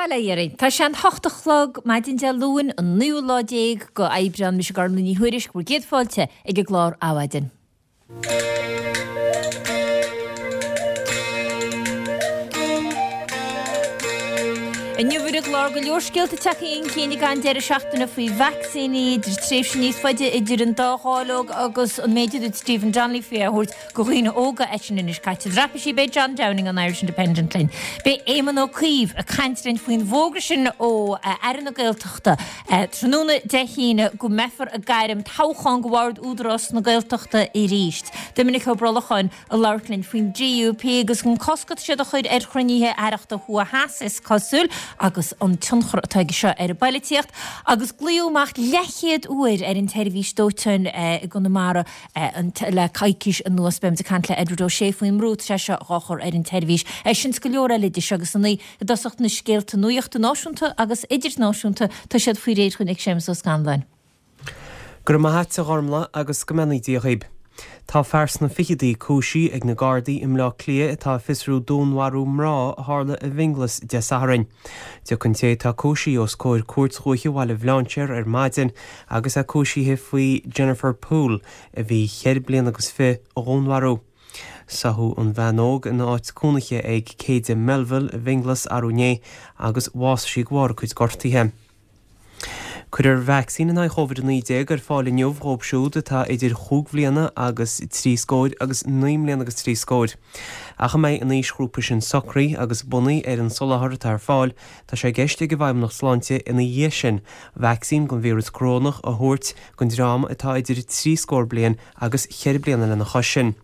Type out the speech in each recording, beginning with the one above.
Bail ó Dhia oraibh. Tá sé an hocht a chlog maidin Dé Luain, an naoú lá déag go Aibreán. Mise Gormlaith Ní Thuairisg, bhur gcéad fáilte ag an gclár Adhmhaidin. Inniu ar an gclár go leor scéalta tagtha chun cinn ag an deireadh seachtaine faoi vacsaíní, idir tréimhse níos faide idir an dá dháileog agus an méid a dúirt Stephen Donnelly faoi a thabhairt go dhaoine óga eisean anois caite. Traipisí beidh John Downing an Irish Independent linn. Beidh Éamon Ó Cuív ag caint linn faoin bhfógra sin ó Aire na Gaeltachta tráthnóna Dé hAoine go mbeifear ag gairm toghchán go Bhord Údarás na Gaeltachta arís. Doiminic Ó Brolcháin ag labhairt linn faoin DUP agus an cosc atá siad a chur ar chruinnithe aireachta thuaidh theas is cosúil agus an tionchar atá aige seo ar an bpoilitíocht. Agus glaodh amach leathchéad uair ar an tseirbhís dóiteáin i gConamara le coicís anuas. Beimid ag caint le Edward O'Shea faoin mbrú atá sé seo dhá chur ar an tseirbhís. É sin 's go leor eile idir seo agus a naoi. I dtosach na scéalta nuachta náisiúnta agus idirnáisiúnta, tá siad faoi réir chugainn ag Séamus Ó Scanláin. Go raibh maith a't a Ghormlaith agus go mbeannaí Dia dhaoib. Tá fear sna ficheadaí cúisithe ag na Gardaí i mBleá Cliath atá ag fiosrú dúnmharú mná a tharla i bhFionnghlas Dé Sathairn. Tiocfaidh an té atá cúisithe os comhair Cúirt Dhúiche Bhaile Bhlainséir ar maidin agus é cúisithe faoi Jennifer Poole, a bhí cheithre bliana agus fi, a dhúnmharú. Sáthadh an bhean óg ina áit cónaithe ag Céide Melville i bhFionnghlas arú inné agus bhásaigh sí de bharr a cuid gortuithe. Cuirfear vacsaín in aghaidh Covid-19 ar fáil inniu dhóibh siúd atá idir chúig bhliana agus trí scóir agus naoi mbliana agus trí scóir. Ach a mbeidh an aoisghrúpa sin socraithe agus bunaithe ar an soláthar atá ar fáil, tá sé i gceist ag an bhFeidhmeannacht Sláinte ina dhiaidh sin vacsaín don víreas corónach a thabhairt don dream atá idir trí scór bliain agus cheithre bliana lena chois sin.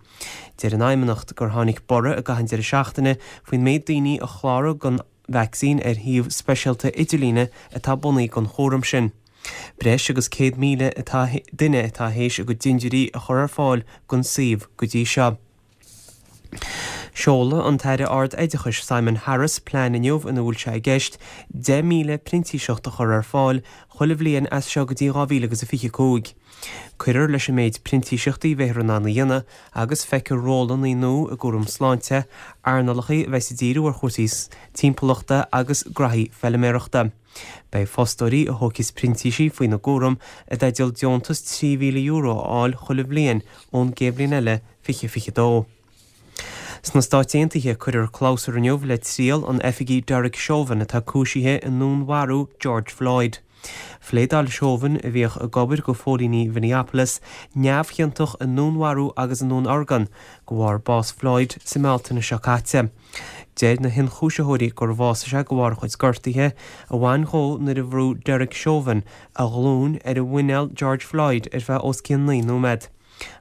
Deir an Fheidhmeannacht gur tháinig borradh i gcaitheamh an deireadh seachtaine faoin méid daoine a chláraigh don vacsaín ar shuíomh speisialta idirlíne atá bunaithe don chúram sin. Breis agus 100,000 atá duine atá théis a gcuid dintiúirí a chur ar fáil don suíomh go dtí seo. Seolfaidh an tAire Ard-Oideachais Simon Harris plean inniu ina bhfuil sé i gceist 10,000 printíseacht a chur ar fáil chuile bhliain as seo go dtí 2025. Cuirfear leis an méid printíseachtaí a bheifear in ann a dhéanamh agus feicfear rólanna nua i gcúram sláinte, earnálacha a bheas ag díriú ar chúrsaí timpeallachta agus graithí feiliméarachta. Beidh fostóirí a thógfas printísigh faoina gcúram i dteideal deontas €3,000 a fháil chuile bhliain ón gcéad bhliain eile, 2022. Sna Stáit Aontaithe, cuirfear clabhsúr inniu le triail an oifigigh Derek Chauvin atá cúisithe i ndúnmharú George Floyd. Phléadáil Chauvin, a bhíodh ag obair go phóilíní Mhinneapolis, neamhchiontach i ndúnmharú agus i ndúnorgain de bharr bás Floyd sa mBealtaine seo caite. Deir na hionchúisitheoirí gur bhásaigh sé de bharr a chuid gortuithe a bhain dhó nuair a bhrú Derek Chauvin a ghlúin ar mhuineál George Floyd ar feadh os cionn 9 nóiméad.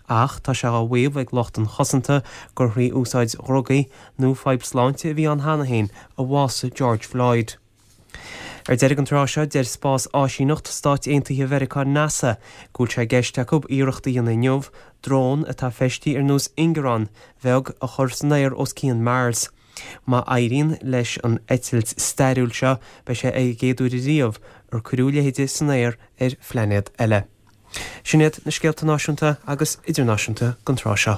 Ach tá sé á mhaíomh ag lucht an chosanta gur thrí úsáid dhrugaí nó fadhb sláinte a bhí ann cheana féin a bhásaigh George Floyd. Ar deireadh an tráth seo, deir Spás-Áisíneacht Stáit Aontaithe Mheiriceá, NASA, go bhfuil sé i gceist acu iarracht a dhéanamh inniu drón atá feistithe ar nós ingearán bheag a chur san aer os cionn Mars. Má éiríonn leis an eitilt stairiúil seo, beidh sé ar an gcéad uair riamh ar cuireadh a leithéide san aer ar phlainéad eile. Sin iad na scéalta náisiúnta agus idirnáisiúnta don tráth seo.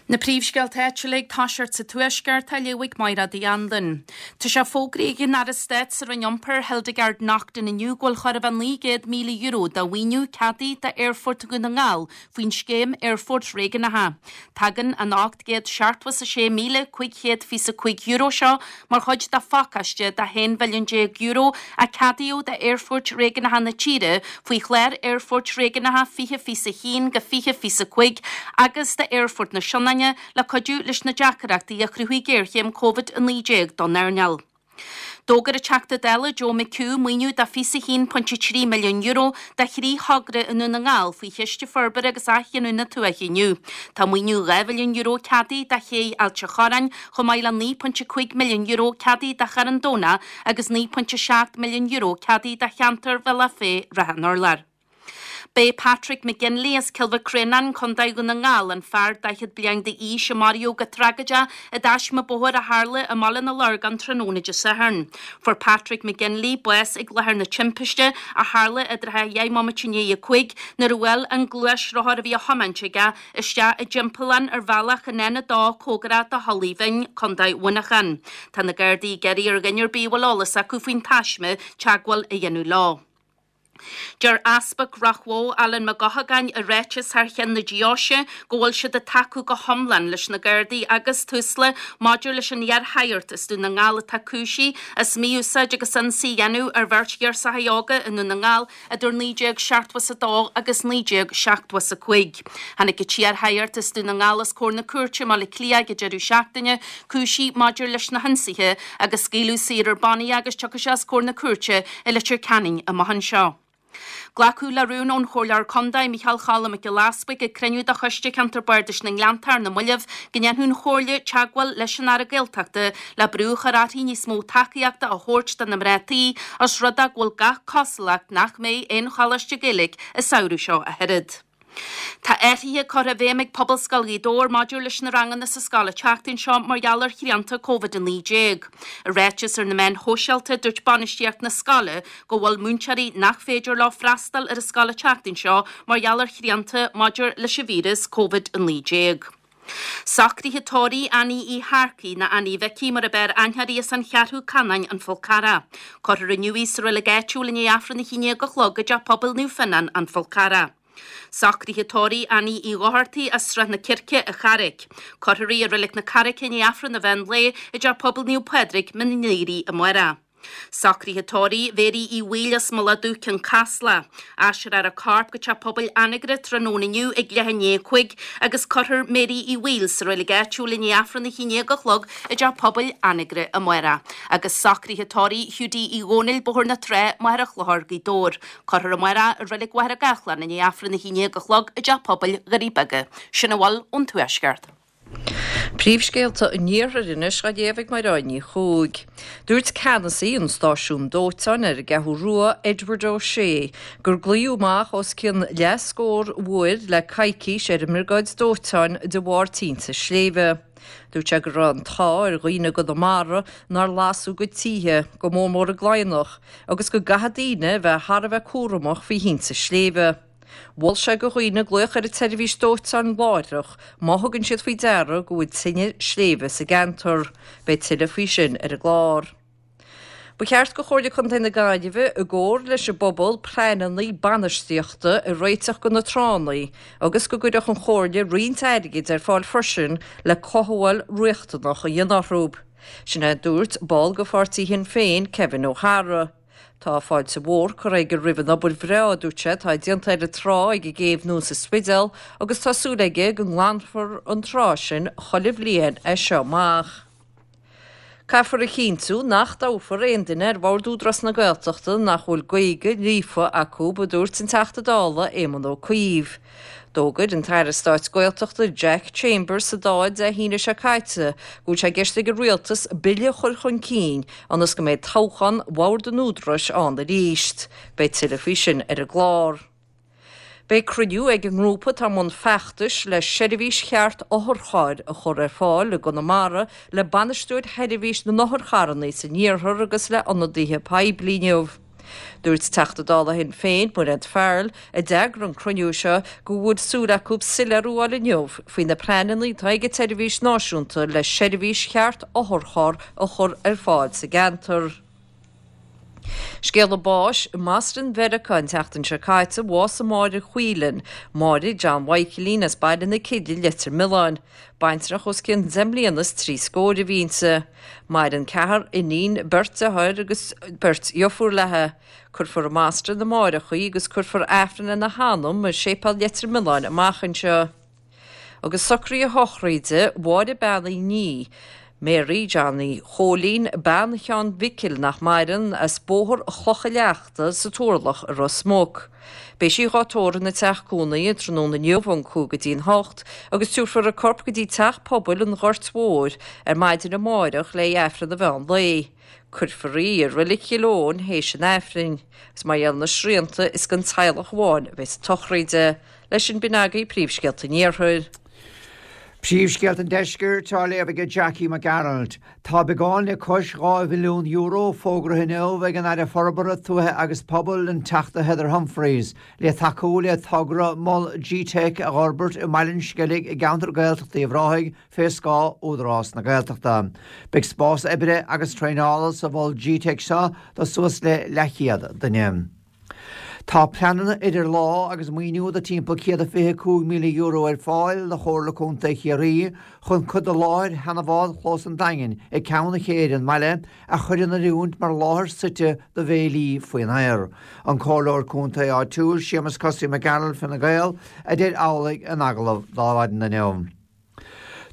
Na príomhscéalta áitiúla ag toiseacht sa Tuaisceart á léamh ag Mairéad Uí Anluain. Tá sé fógraithe ag an Aire Stáit sa Roinn Iompair, Hildegarde Naughton inniu go bhfuil chóir a bheith €900,000 de mhaoiniú ceadaithe d'Aerfort Dhún na nGall faoin scéim Aerfoirt Réigiúnacha. Tagann an €876,525 seo mar chuid de phacáiste de €11 mhilliún a ceadaíodh d'aerfoirt réigiúnacha na tíre faoi chlár Aerfoirt Réigiúnacha 2021-2025 agus d'Aerfort na Sionainne le cuidiú leis na deacrachtaí a chruthaigh géarchéim Covid-19 don earnáil. D'fhógair an Teachta Dála Joe McHugh maoiniú de €21.3 milliún do thrí thogra i nDún na nGall faoi Chiste Forbartha agus Athghiniúna Tuaithe inniu. Tá maoiniú €2 mhilliún ceadaithe do ché Ailt a' Chorráin, chomh maith le €9.5 milliún ceadaithe do Charn Domhnach agus €9.7 milliún ceadaithe do cheantar Bhealach Féich-Ráth an Urláir. B'é Patrick McGinley as Cill Mhic Réanáin, Contae Dhún na nGall, an fear 40 bliain d'aois a maraíodh go tragóideach i dtaisme bóthair a tharla i mBaile na Lorgan tráthnóna Dé Sathairn. Fuair Patrick McGinley bás ag láthair na timpiste, a tharla i dtrátha dheich mbomaite i ndiaidh a 5, nuair a bhuail an gluaisrothar a bhí á thiomáint aige isteach i dtimpeallán ar bhealach an N2 cóngarach do Thulaigh Bhinn, Contae Mhuineacháin. Tá na Gardaí ag iarraidh ar dhuine ar bith a bhfuil eolas acu faoin taisme teagmháil a dhéanamh leo. Deir Easpag Ráth Bhoth, Alan Mac Eochagáin, i ráiteas thar cheann na deoise go bhfuil siad ag tacú go hiomlán leis na Gardaí agus Tusla maidir leis an iar-shagart as Dún na nGall atá cúisithe as mí-úsáid agus ionsaí a dhéanamh ar bheirt ghirseacha óga i nDún na nGall idir 1972 agus 1975. Tháinig an t-iar-shagart as Dún na nGall os comhair na cúirte i mBaile Átha Cliath ag an deireadh seachtaine, cúisithe maidir leis na hionsaithe agus scaoileadh saor ar bannaí é agus tiocfaidh sé os comhair na cúirte i Leitir Ceanainn amach anseo. Glacadh le rún ón Chomhairleoir Contae, Micheál Choilm Mac Giolla Easbuig ag cruinniú de Choiste Ceantar Bardais na nGleannta ar na mallaibh go ndéanfadh an Chomhairle teagmháil leis an Aire Gaeltachta le brú a chur uirthi níos mó tacaíochta a thabhairt do na mná tí os rud é go bhfuil gach cosúlacht nach mbeidh aon choláiste Gaeilge an samhradh seo ach oiread. Tá athruithe curtha i bhfeidhm ag Pobalscoil Ghaoth Dobhair maidir leis na ranganna sa scoil an tseachtain seo mar gheall ar shrianta Covid-19. I ráiteas ar na meáin shóisialta, dúirt bainistíocht na scoile go bhfuil múinteoirí nach féidir leo freastal ar an scoil an tseachtain seo mar gheall ar shrianta maidir leis an víreas Covid-19. Socruithe tórraimh Annie Uí Shearcaigh, nó Annie Mhicí mar ab fhearr aithne uirthi as an Cheathrú Canáin, An Fál Carrach. Cuirfear inniu í sa reilig áitiúil i ndiaidh Aifreann a haon déag a chlog i dTeach Pobail Naomh Fionnán, An Fál Carrach. Socruithe tórraimh Annie Uí Dhochartaigh as Srath na Circe, An Charraic. Cuirfear í i Reilig na Carraice i ndiaidh Aifreann an mheán lae i dTeach Pobail Naomh Pádraig, Mín an Aoraigh amárach. Socruithe tórraimh Mhéirí Uí Bhaoill as Mullach Dubh, Cionn Caslach. Aistreofar a corp go Teach Pobail Anagaire tráthnóna inniu ag leath i ndiaidh a 5 agus cuirfear Mary Uí Bhaoill sa reilig áitiúil i ndiaidh Aifreann a haon déag a chlog i dTeach Pobail Anagaire amárach. Agus socruithe tórraimh Hiúdaí Uí Dhónaill, Bóthar na Trá, Machaire Chlochair, Gaoth Dobhair. Cuirfear amárach i reilig Mhachaire Gathlán i ndiaidh Aifreann a haon déag a chlog i dTeach Pobail Dhoirí Beaga. Sin a bhfuil ón Tuaisceart. Príomhscéalta an Iarthair anois á léamh ag Mairéad Ní Chuaig. Dúirt ceannasaí an stáisiúin dóiteáin ar an gCeathrú Rua, Edward O'Shea, gur glaodh amach os cionn leathscór uair le coicís ar an mbriogáid dóiteáin de bharr tinte sléibhe. Dúirt sé go raibh an t-ádh ar dhaoine i gConamara nár lasadh a gcuid tithe, go mór mór i gCladhnach, agus go gcaithfidh daoine a bheith thar a bheith cúramach faoi thinte sléibhe. Mhol sé go dhaoine glaoch ar an tseirbhís dóiteáin láithreach má thugann siad faoi deara go bhfuil tine sléibhe sa gceantar. Beidh tuilleadh faoi sin ar an gclár. Ba cheart go Chomhairle Contae na Gaillimhe, i gcomhar leis an bpobal, pleananna bainistíochta a réiteach go na tránna agus go gcuirfeadh an Chomhairle roinnt airgid ar fáil freisin le cothabháil riachtanach a dhéanamh orthu. Sin é a dúirt ball de pháirtí Shinn Féin, Kevin O'Hara. Tá fáilte mhór curtha aige roimh an obair bhreá, a dúirt sé, atá déanta ar an trá ag an gCéibh Nua sa Spidéal agus tá súil aige go nglanfar an trá sin chuile bhliain as seo amach. Caithfear a chinntiú nach dtoghfar aon duine ar bhord Údarás na Gaeltachta nach bhfuil Gaeilge líofa acu, a dúirt an Teachta Dála Éamon Ó Cuív. D'fhógair an tAire Stáit Gaeltachta Jack Chambers sa Dáil Dé hAoine seo caite go bhfuil sé i gceist ag an Rialtas bille a chur chun cinn ionas go mbeidh toghchán Bhord an Údaráis ann arís. Beidh tuilleadh faoi sin ar an gclár. Beidh cruinniú ag an ngrúpa atá i mbun feachtais le seirbhís cheart otharchairr a chur ar fáil i gConamara le bainisteoir sheirbhís na n-otharcharranna san iarthar agus le ionadaithe poiblí inniu. Dúirt Teachta Dála Shinn Féin, Mairéad Farrell, a d'eagraigh an cruinniú seo, go bhfuil súil acu soiléiriú a fháil inniu faoi na pleananna atá ag an tseirbhís náisiúnta le seirbhís cheart otharcharr a chur ar fáil sa gceantar. Scéala báis i mBoston Mheiriceá an tseachtain seo caite, bhásaigh Máire Whelan, Máire John Mhaidhcilín as Baile na Cille, Leitir Mealláin. Baintreach os cionn deich mbliana is trí scóir a bhí inti. Maireann ceathrar iníon, beirt deartháir agus beirt dheirfiúr léi. Cuirfear i mBoston amáireach í agus cuirfear Aifreann lena hanam i Séipéal Leitir Mealláin amach anseo. Agus socruithe sochraide Mháire Bean Uí Ní. Mary Johnny Chóilín, bean Sheáin Mhicil nach maireann, as Bóthar Chloch a' Leachta sa Turlach i Ros Muc. Beidh sí dhá tórramh ina teach cónaithe tráthnóna inniu ón 5 go dtí'n 8 agus tabharfar a corp go dtí Teach Pobail an Ghoirt Mhóir ar maidin amáireach le Aifreann an mheán lae. Cuirfear í i Reilig Chill Eoin théis an Aifrinn, agus mar gheall ar na srianta is don teaghlach amháin a bheas an tsochraid. Leis sin b'in agaibh príomhscéalta an Iarthair. Príomhscéalta an Deiscirt á léamh aige Jackie Mac Gearailt. Tá beagán le cois €2 mhilliún fógraithe inniu ag an Aire Forbartha Tuaithe agus Pobail, an Teachta Heather Humphreys, le tacú le togra Mol G-Teic a dh'fhorbairt i mBaile an Sceilg i gceantar Gaeltachta Uíbh Ráthaigh fé scáth Údarás na Gaeltachta. Beidh spás oibre agus traenála sa Mhol G-Teic seo do suas le leathchéad duine. Tá pleananna idir lámha agus maoiniú de timpeall €125,000 ar fáil do Chomhairle Contae Chiarraí chun cuid de láthair sheana-bhád Chlós an Daingin ag ceann chéire an bhaile a chur in oiriúint mar láthair suite do bhéilí faoin aer. An Comhairleoir Contae áitiúil Séamus Cosaí Mac Gearailt, Fine Gael, a deir amhlaidh in agallamh d'Adhmhaidin inniu.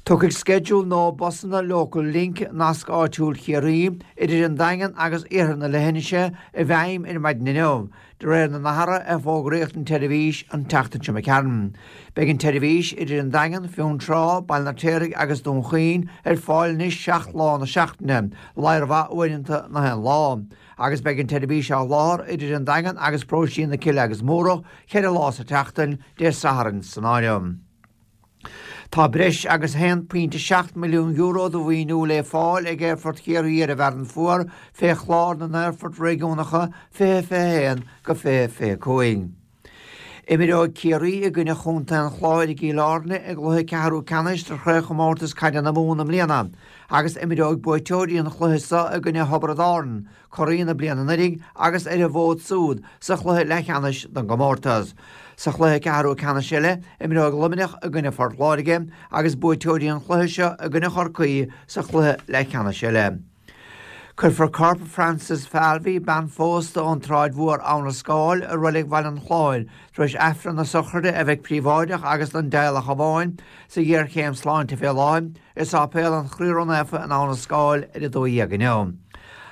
Tiocfaidh sceideal nua busanna Local Link, Nasc Áitiúil Chiarraí, idir an Daingean agus iarthar na leithinise i bhfeidhm ar maidin inniu, de réir na n-athruithe a fógraíodh don tseirbhís an tseachtain seo imigh tharainn. Beidh an tseirbhís idir an Daingean, Fionntrá, Baile an Fheirtéaraigh agus Dún Chaoin ar fáil anois 7 lá na seachtaine, ladhar mhaith uaireanta na haon lá, agus beidh an tseirbhís á sholáthar idir an Daingean agus paróistí na Cille agus Múrach 4 lá sa tseachtain, Dé Sathairn san áireamh. Tá breis agus €1.7 milliún de mhaoiniú le fáil ag Aerfort Chiarraí ar an bhFearann Fuar fé Chlár na nAerfort Réigiúnacha 2021-2025. Imreoidh Ciarraí i gcoinne Chontae an Chláir i gCill Airne i gcluiche ceathrú ceannais de Chraobhchomórtas Caide na Mumhan i mbliana agus imreoidh buaiteoirí an chluiche seo i gcoinne Thiobraid Árann, curaidh na bliana anuraidh agus ar an bhfód súd sa chluiche leathcheannais don gcomórtas. Sa chluiche ceathrú ceannais eile, imreoidh Luimneach i gcoinne Phort Láirge agus buaiteoirí an chluiche seo i gcoinne Chorcaí sa chluiche leathcheannais eile. Cuirfear corp Frances Falvey, bean phósta ón tSráid Mhór, Abha na Scáil, i Reilig Bhaile an Chláir tar éis Aifreann na sochraide a bheidh príobháideach agus don dteaghlach amháin, sa ghéarchéim sláinte fé láthair. I Sáipéal an Chroí Ró-Naofa in Abha na Scáil ar 12 inniu.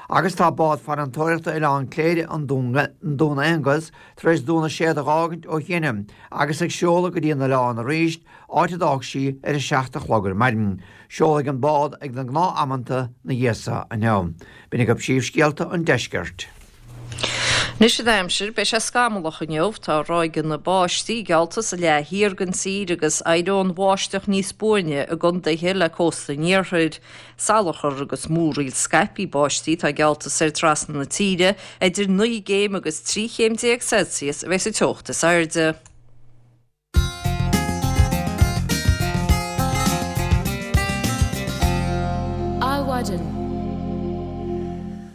Agus tá bád farantóireachta Oileán Cléire, an Dún Aonghus, tar éis Dún na Séad a dh'fhágaint ó chianaibh agus ag seoladh go dtí an oileán arís, áit a d'fhág sí ar a 7 a chlog ar maidin. Seolfaidh an bád ag na gnáth-amanta 'na dhiaidh so inniu. B'in agaibh príomhscéalta an deiscirt. Anois an aimsir, beidh sé scamallach inniu. Tá ráigeanna báistí geallta sa leath thiar den tír agus éireoidh an bháisteach níos buaine i gcontaetha le cósta an iarthair. Salachar agus múraíl scaipthe báistí atá geallta soir trasna na tíre. Idir 9 gcéim agus 13 chéim Celsius a bheidh sa teocht is airde. Adhmhaidin.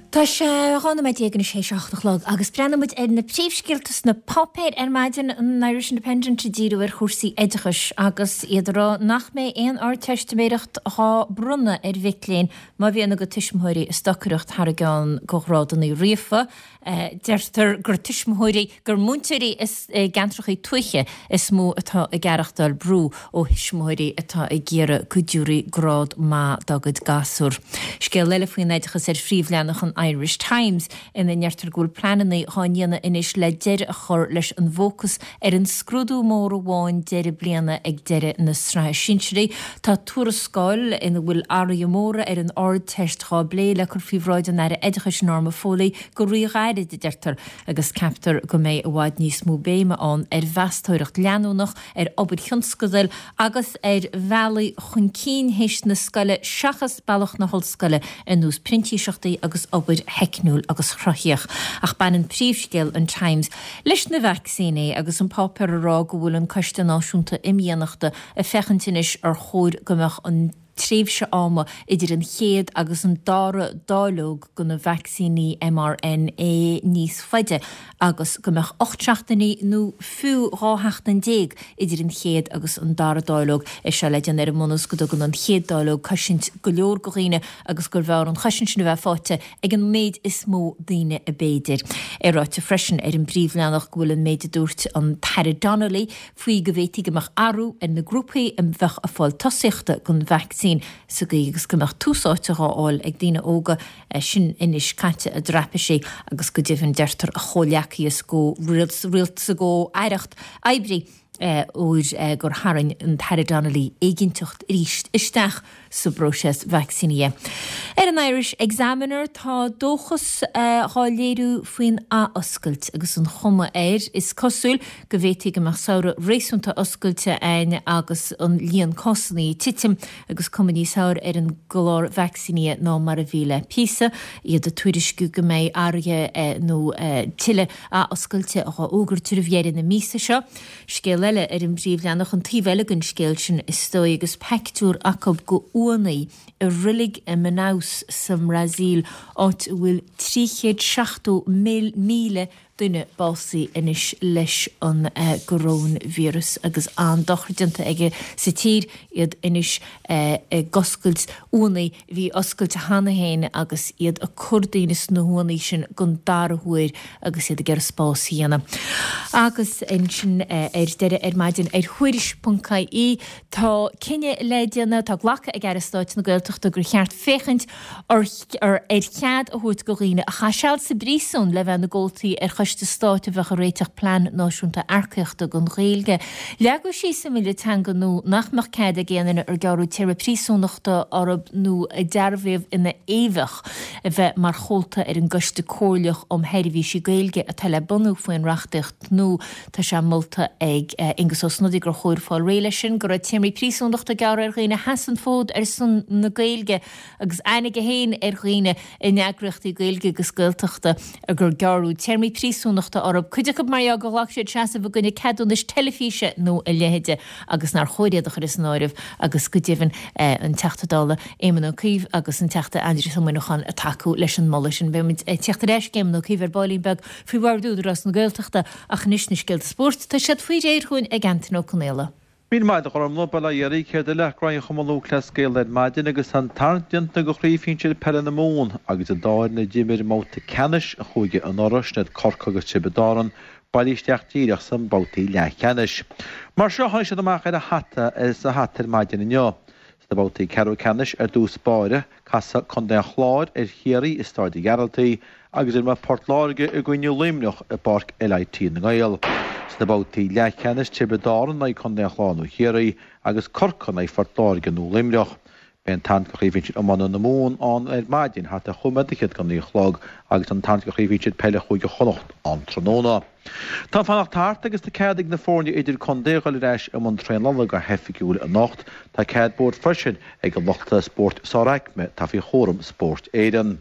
Tá sé 12 nóiméad anois théis a hocht a chlog agus breathnóidh muid ar na príomhscéalta sna páipéir ar maidin, an Irish Independent ag díriú ar chúrsaí oideachais agus iad ag rá nach mbeidh aon Ardteistiméireacht dhá bronnadh ar mhic léinn má bhíonn a gcuid tuismitheoirí ag stocaireacht thar a gceann do ghrádanna ríofa. Deirtear gur tuismitheoirí, gur múinteoirí i gceantracha tuaithe is mó atá ag aireachtáil brú ó thuismitheoirí atá ag iarraidh go dtiúrfaí grád maith dá gcuid gasúr. Scéal eile faoin oideachas ar phríomhleathanach an Irish Times ina ndeirtear go bhfuil pleananna dhá ndéanamh anois le deireadh a chur leis an bhfócas ar an scrúdú mór amháin deireadh bliana ag deireadh na sraithe sinsearaí. Tá tuarascáil ina bhfuil athruithe móra ar an Ardteist dhá bplé le cur faoi bhráid an Aire Oideachais Norma Foley go ríghairid, a deirtear, agus ceaptar go mbeidh i bhfad níos mó béime ann ar mheastóireacht leanúnach, ar obair thionscadail agus ar bhealaí chun cinn théis na scoile seachas bealach na hollscoile ar nós printíseachtaí agus obair theicniúil agus chruthaíoch. Ach baineann príomhscéal an Times leis na vacsaíní agus an páipéar ag rá go bhfuil an Coiste Náisiúnta Imdhíonachta ag féachaint anois ar chóir go mbeadh an tréimhse ama idir an chéad agus an dara dáileog de na vacsaíní mRNA níos faide agus go mbeadh 8 seachtainí nó fiú 12 sheachtain idir an chéad agus an dara dáileog. É seo le déanamh ar an mbunús go dtugann an chéad dáileog cosaint go leor do dhaoine agus gurbh fhearr an chosaint sin a bheith faighte ag an méid is mó daoine ab fhéidir. É ráite freisin ar an bpríomhleathanach go bhfuil an méid a dúirt an tAire Donnelly faoi go bhféadfaí go mbeadh athrú ar na grúpaí a bheadh ag fáil tosaíochta don vacsaín. vacsaín sa gcaoi agus go mbeadh tús áite dhá fháil ag daoine óga, sin anois caite i dtraipisí agus go deimhin deirtear a chomhleacaí is gcomh-rialtas a gcomh-aireacht oibrí óir gur tharraing an tAire Donnelly éiginnteacht arís isteach sa bpróiseas vacsaínithe. Ar an Irish Examiner tá dóchas dhá léiriú faoin athoscailt agus an chuma air, is cosúil, go bhféadfaí go mbeadh samhradh réasúnta oscailte againn agus an líon cásanna ag titim agus cuma níos fearr ar an gclár vacsaínithe ná mar a bhí le píosa. Iad ag tuairisciú go mbeidh athruithe nó tuilleadh athoscailte á fhógairt roimh dheireadh na míosa seo. Scéal eile ar an bpríomhleathanach, an taobh eile den scéal sin is dóigh, agus peictiúr acu go uaigheanna i roilig i Manaus sa mBrasaíl, áit a bhfuil 370,000 duine básaithe anois leis an gcoróinvíreas agus an-dochar déanta aige sa tír, iad anois ag oscailt uaigheanna a bhí oscailte cheana féin agus iad ag cur daoine sna huaigheanna sin don dara huair agus iad ag iarraidh spás a dhéanamh. Agus ansin ar deireadh ar maidin ar Thuairisc.ie tá cinneadh le déanamh, tá glactha ag Aire Stáit na Gaeltachta gur cheart féachaint ar ar chead a thabhairt do dhaoine a chaith seal sa bpríosún le bheith ina gcomhaltaí ar choiste stáit a bheadh ag réiteach plean náisiúnta earcaíochta don Ghaeilge. Leagadh síos i mBille Teanga nua nach mbeadh cead ag aon duine ar gearradh téarma príosúnachta orthu nó a dearbhaíodh ina fhéimheach a bheith mar chomhalta ar an gCoiste Comhairleach um Sheirbhísí Gaeilge atá le bunú faoin reachtaíocht nua. Tá sé molta ag Aengus Ó Snodaigh gur chóir fáil réidh leis sin, go raibh téarmaí príosúnachta gearrtha ar dhaoine a sheas an fód ar son na Gaeilge agus aithne aige féin ar dhaoine in eagraíochtaí Gaeilge agus Gaeltachta gur gearradh téarmaí príosúnachta orthu, cuid acu mar gheall gur ghlac siad seasamh i gcoinne ceadúnais teilifíse nó a leithéide agus nár chóir iad a chur as an áireamh agus go deimhin an Teachta Dála Éamon Ó Cuív agus an Teachta Aindrias Ó Muineacháin ag tacú leis an moladh sin. Beidh muid ag tíocht ar ais ag Éamon Ó Cuív ar baillín beag faoi Bhord Údarás na Gaeltachta ach anois na scéalta spóirt, tá siad faoi réir chugainn ag Antain Ó Conaola. Míle maith agat a Ghormfhlaith, bail ó Dhia oraibh, céard eile ach Roinn Chumann Lúthchleas Gael ar maidin agus tá an tarraingt déanta do Chraobh Shinsir Peile na Mumhan agus an dá fhoireann a d'imir i mbabhta ceannais an chúige anuraidh, sin iad Corcaigh agus Tiobraid Árann, bailithe isteach díreach sna babhtaí leathcheannais. Mar seo a tháinig siad amach ar an hata sa hata ar maidin inniu. Sna babhtaí ceathrú ceannais ar dtús báire, casfaidh Contae an Chláir ar Chiarraí i Stáid an Ghearaltaigh agus imreoidh Port Láirge i gcoinne Luimneach i bPáirc LIT na nGael. Sna babhtaí leathcheannais, Tiobraid Árann in aghaidh Contae an Chláir nó Chiarraí agus Corcaigh in aghaidh Phort Láirge nó Luimneach. Beidh an tarraingt do Chraobh Shinsir Iomána na Mumhan ann ar maidin thart ar chúig nóiméad fichead go naoi a chlog agus an tarraingt do Chraobh Shinsir Peile Chúige Chonnacht ann tráthnóna. Tá an fanacht thart agus tá cead ag na foirne idir-contae a dhul ar ais i mbun traenála go hoifigiúil anocht. Tá cead bóthair freisin ag an lucht spóirt sáraicme atá faoi chúram Spórt Éireann.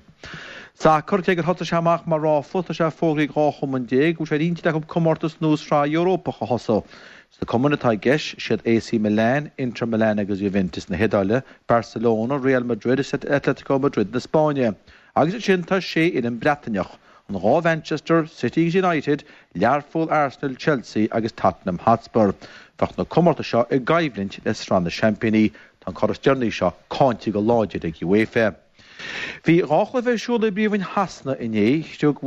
Sacar, cé gur thosaigh sé amach mar ráfla, tá sé fógraithe ag 12 chumann go bhfuil sé ar intinn acu comórtas nua sraith Eorpach a thosú. Sna cumainn atá i gceist, siad AC Milan, Inter Milan agus Juventus na hIodáile, Barcelona, Real Madrid is Atletico Madrid na Spáinne. Agus ansin tá sé fhoireann Breataineach, an dhá Mhanchester, City agus United, Learpholl, Arsenal, Chelsea agus Tottenham Hotspur. Bheadh na comórtais seo i gcoimhlint le Sraith na Seaimpíní. Tá an cor is deireanaí seo cáinte go láidir ag UEFA. Bhí dhá chluiche ar siúl i bPríomhroinn Shasana inné. Chriog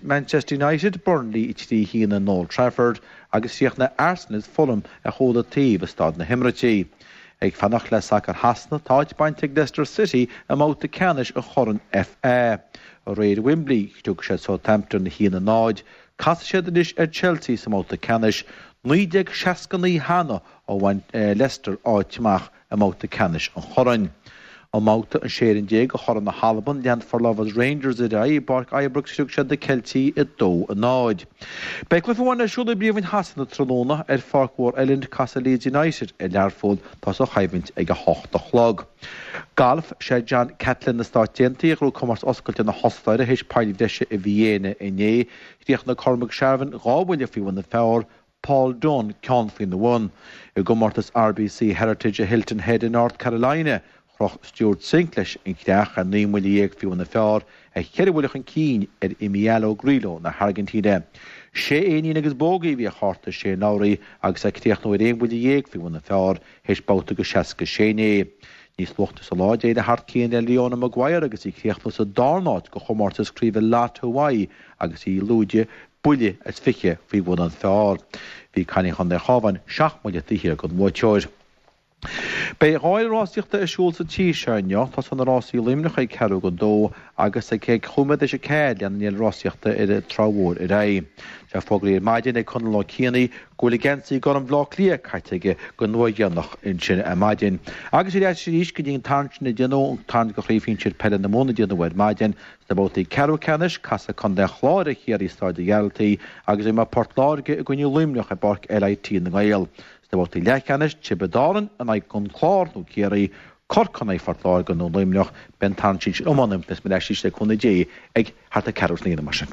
Manchester United Burnley 3-1 in Old Trafford agus chríochnaigh Arsenal is Fulham ar chúl an taobh i Staid na hEimiréití. Ag fanacht le sacar Shasana, tá áit bainte ag Leicester City i mbabhta ceannais an Chorn FA. Aréir i Wembley, chriog siad Southampton 1-0. Casfaidh siad anois ar Chelsea sa mbabhta ceannais. 1969 cheana ó bhain Leicester áit amach i mbabhta ceannais an Chorn. I mbabhta an 16 fhoireann de Chorn na hAlban, lean Forlorners Rangers ar aghaidh i bPáirc Ibrox chriog siad na Ceiltigh 2-0. Beidh cluiche amháin ar siúl i bPríomhroinn Shasana tráthnóna ar Pháirc Mhór Elland, casfaidh Leeds United ar Learpholl, tá sa choimhlint ag 8 a chlog. Galf, Sé John Catlin na Stát Aontaithe a ghnóthaigh Comórtas Oscailte na hOstaire théis poill bhreise i Vienna inné. Chríochnaigh Cormac Sharvin dhá bhuille faoi bhun an phar, Paul Dunne ceann faoina bhun. I gcomórtas RBC Heritage i Hilton Head i North Carolina, chroch Stewart Cink leis an chreach ar 19 mbuille faoi bhun an phar, é cheithre bhuille chun cinn ar Emiliano Grillo na hAirgintíne. Sé éinín agus bógaí a bhí ar chárta Shane Lowry agus é ag críochnú ar 11 bhuille faoi bhun an phar théis babhta de 66 inné. Níos luaite sa lá, d'éirigh thar cionn le Leona Maguire agus í ag críochnú sa darna háit do chomórtas craoibhe Lotto Hawaii agus í lúide buille is 20 faoi bhun an phar. Bhí cailín Chontae an Chabháin seacht mbuille taobh thiar den bhuaiteoir. Beidh dháil rásaíochta ar siúl sa tír seo inniu. Tosaíonn na rásaí i Luimneach ag ceathrú go dó agus ag cúig nóiméad théis a ceathair leanann an fhéile rásaíochta ar an Trá Mhór ar aghaidh. Tá fógraithe ar maidin ag Conall Ó Cianaigh go bhfuil geansaí gorm Bhaile Átha Cliath caite aige don uair dheireanach ansin ar maidin. Agus ar ais arís go dtí an tarraingt sin a déanadh, an tarraingt do Chraobh Shinsir Peile na Mumhan a déanadh ar maidin. Sna babhtaí ceathrú ceannais, casfaidh Contae an Chláir ar Chiarraí i Staid an Ghearaltaigh agus imreoidh Port Láirge i gcoinne Luimneach i bPáirc LIT na nGael. Sna babhtaí leathcheannais, Tiobraid Árann in aghaidh an Chlár nó Ciarraí, Corcaigh in aghaidh Phort Láirge nó Luimneach, beidh an tarraingt sin iomlán beidh mé ar ais arís le cúnamh Dé ag thart ar ceathrú trína mar sin.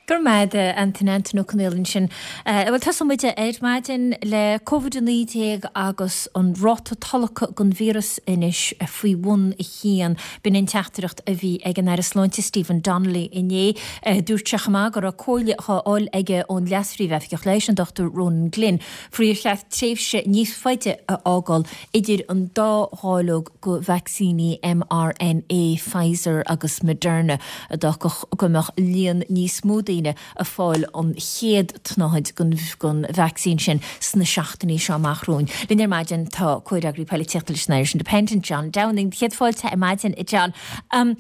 Go raibh maith agat, Antain, Antain Ó Conaola ansin. Bhuel, tosóidh muid ar maidin le Covid-19 agus an ráta tolgtha den víreas anois faoi bhun a haon. B'in an teachtaireacht a bhí ag an Aire Sláinte Stephen Donnelly inné. Dúirt sé chomh maith go raibh comhairle á fháil aige ón Leas-Phríomh-Oifigeach Leighis, an Dr Ronan Glynn, faoi ar cheart tréimhse níos faide a fhágáil idir an dá dháileog de vacsaíní mRNA Pfizer agus Moderna, a d'fhágfadh go mbeadh líon níos mó daoine ag fáil an chéad tsnáthaid den vacsaín sin sna seachtainí seo amach romhainn. Linn ar maidin tá comhfhreagraí poilitíochta leis an Irish Independent, John Downing. Céad fáilte ar maidin, a John. Ar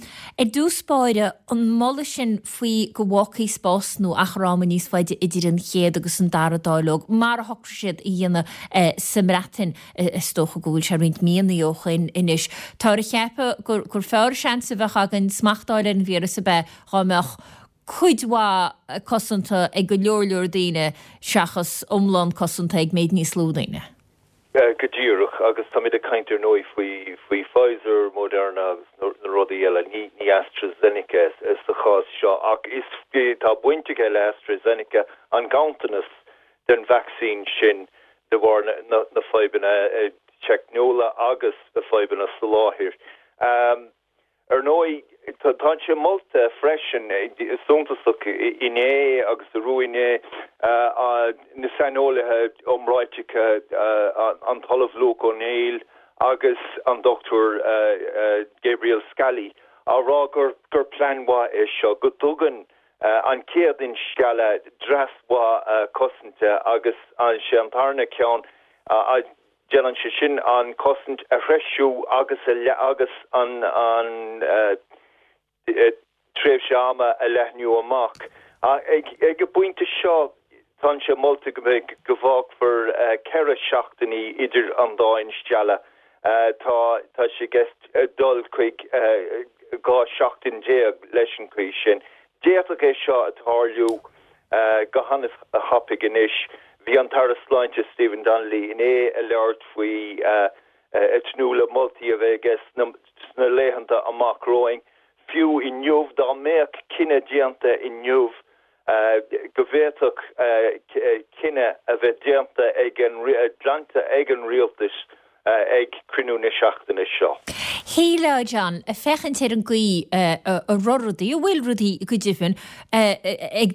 dtús báire, an moladh sin faoi go bhfágfaí spás nó achar ama níos faide idir an chéad agus an dara dáileog, mar a shocraigh siad a dhéanamh sa mBreatain, is dócha go bhfuil sé roinnt míonna ó shoin anois. Táthar a cheapadh gur fearr seans a bheadh againn smacht a fháil ar an víreas ab ea dá mbeadh cuid mhaith cosanta ag go leor leor daoine seachas iomlán cosanta ag méid níos lú daoine. Go díreach, agus táimid ag caint ar ndóigh faoi faoi Pfizer, Moderna agus na rudaí eile, ní ní AstraZeneca sa chás seo ach is tá baint aige le AstraZeneca an ganntanas den vacsaín sin de bharr na na fadhbanna teicniúla agus na fadhbanna soláthair. Ar ndóigh, tá sé molta freisin, suntasach inné agus arú inné, na saineolaithe iomráiteacha, an tOllamh Luke O'Neill agus an Dr Gabriel Scally, á rá gur plean mhaith é seo, go dtugann an chéad instealladh dreas mhaith cosanta agus sé an tarna ceann, Déanann sé sin an chosaint a threisiú agus agus an tréimhse ama a leathnú amach. Ag an bpointe seo, tá sé molta go mbeidh, go bhfágfar 4 seachtainí idir an dá instealladh. Tá tá sé i gceist dul chuig 12 seachtain leis an chaoi sin. D'fhéadfadh é seo a tarlú go han-thapaidh anois. Bhí an tAire Sláinte Stephen Donnelly inné ag labhairt faoi ag tnúth le moltaí a bheith aige sna laethanta amach romhainn. Fiú inniu, dá mbeadh cinneadh déanta inniu go bhféadfadh cinneadh a bheith déanta ag an glanta ag an rialtas ag cruinniú na seachtaine seo. Shílfeá, John, ag féachaint ar an gcaoi a raibh rudaí, a bhfuil rudaí go deimhin, ag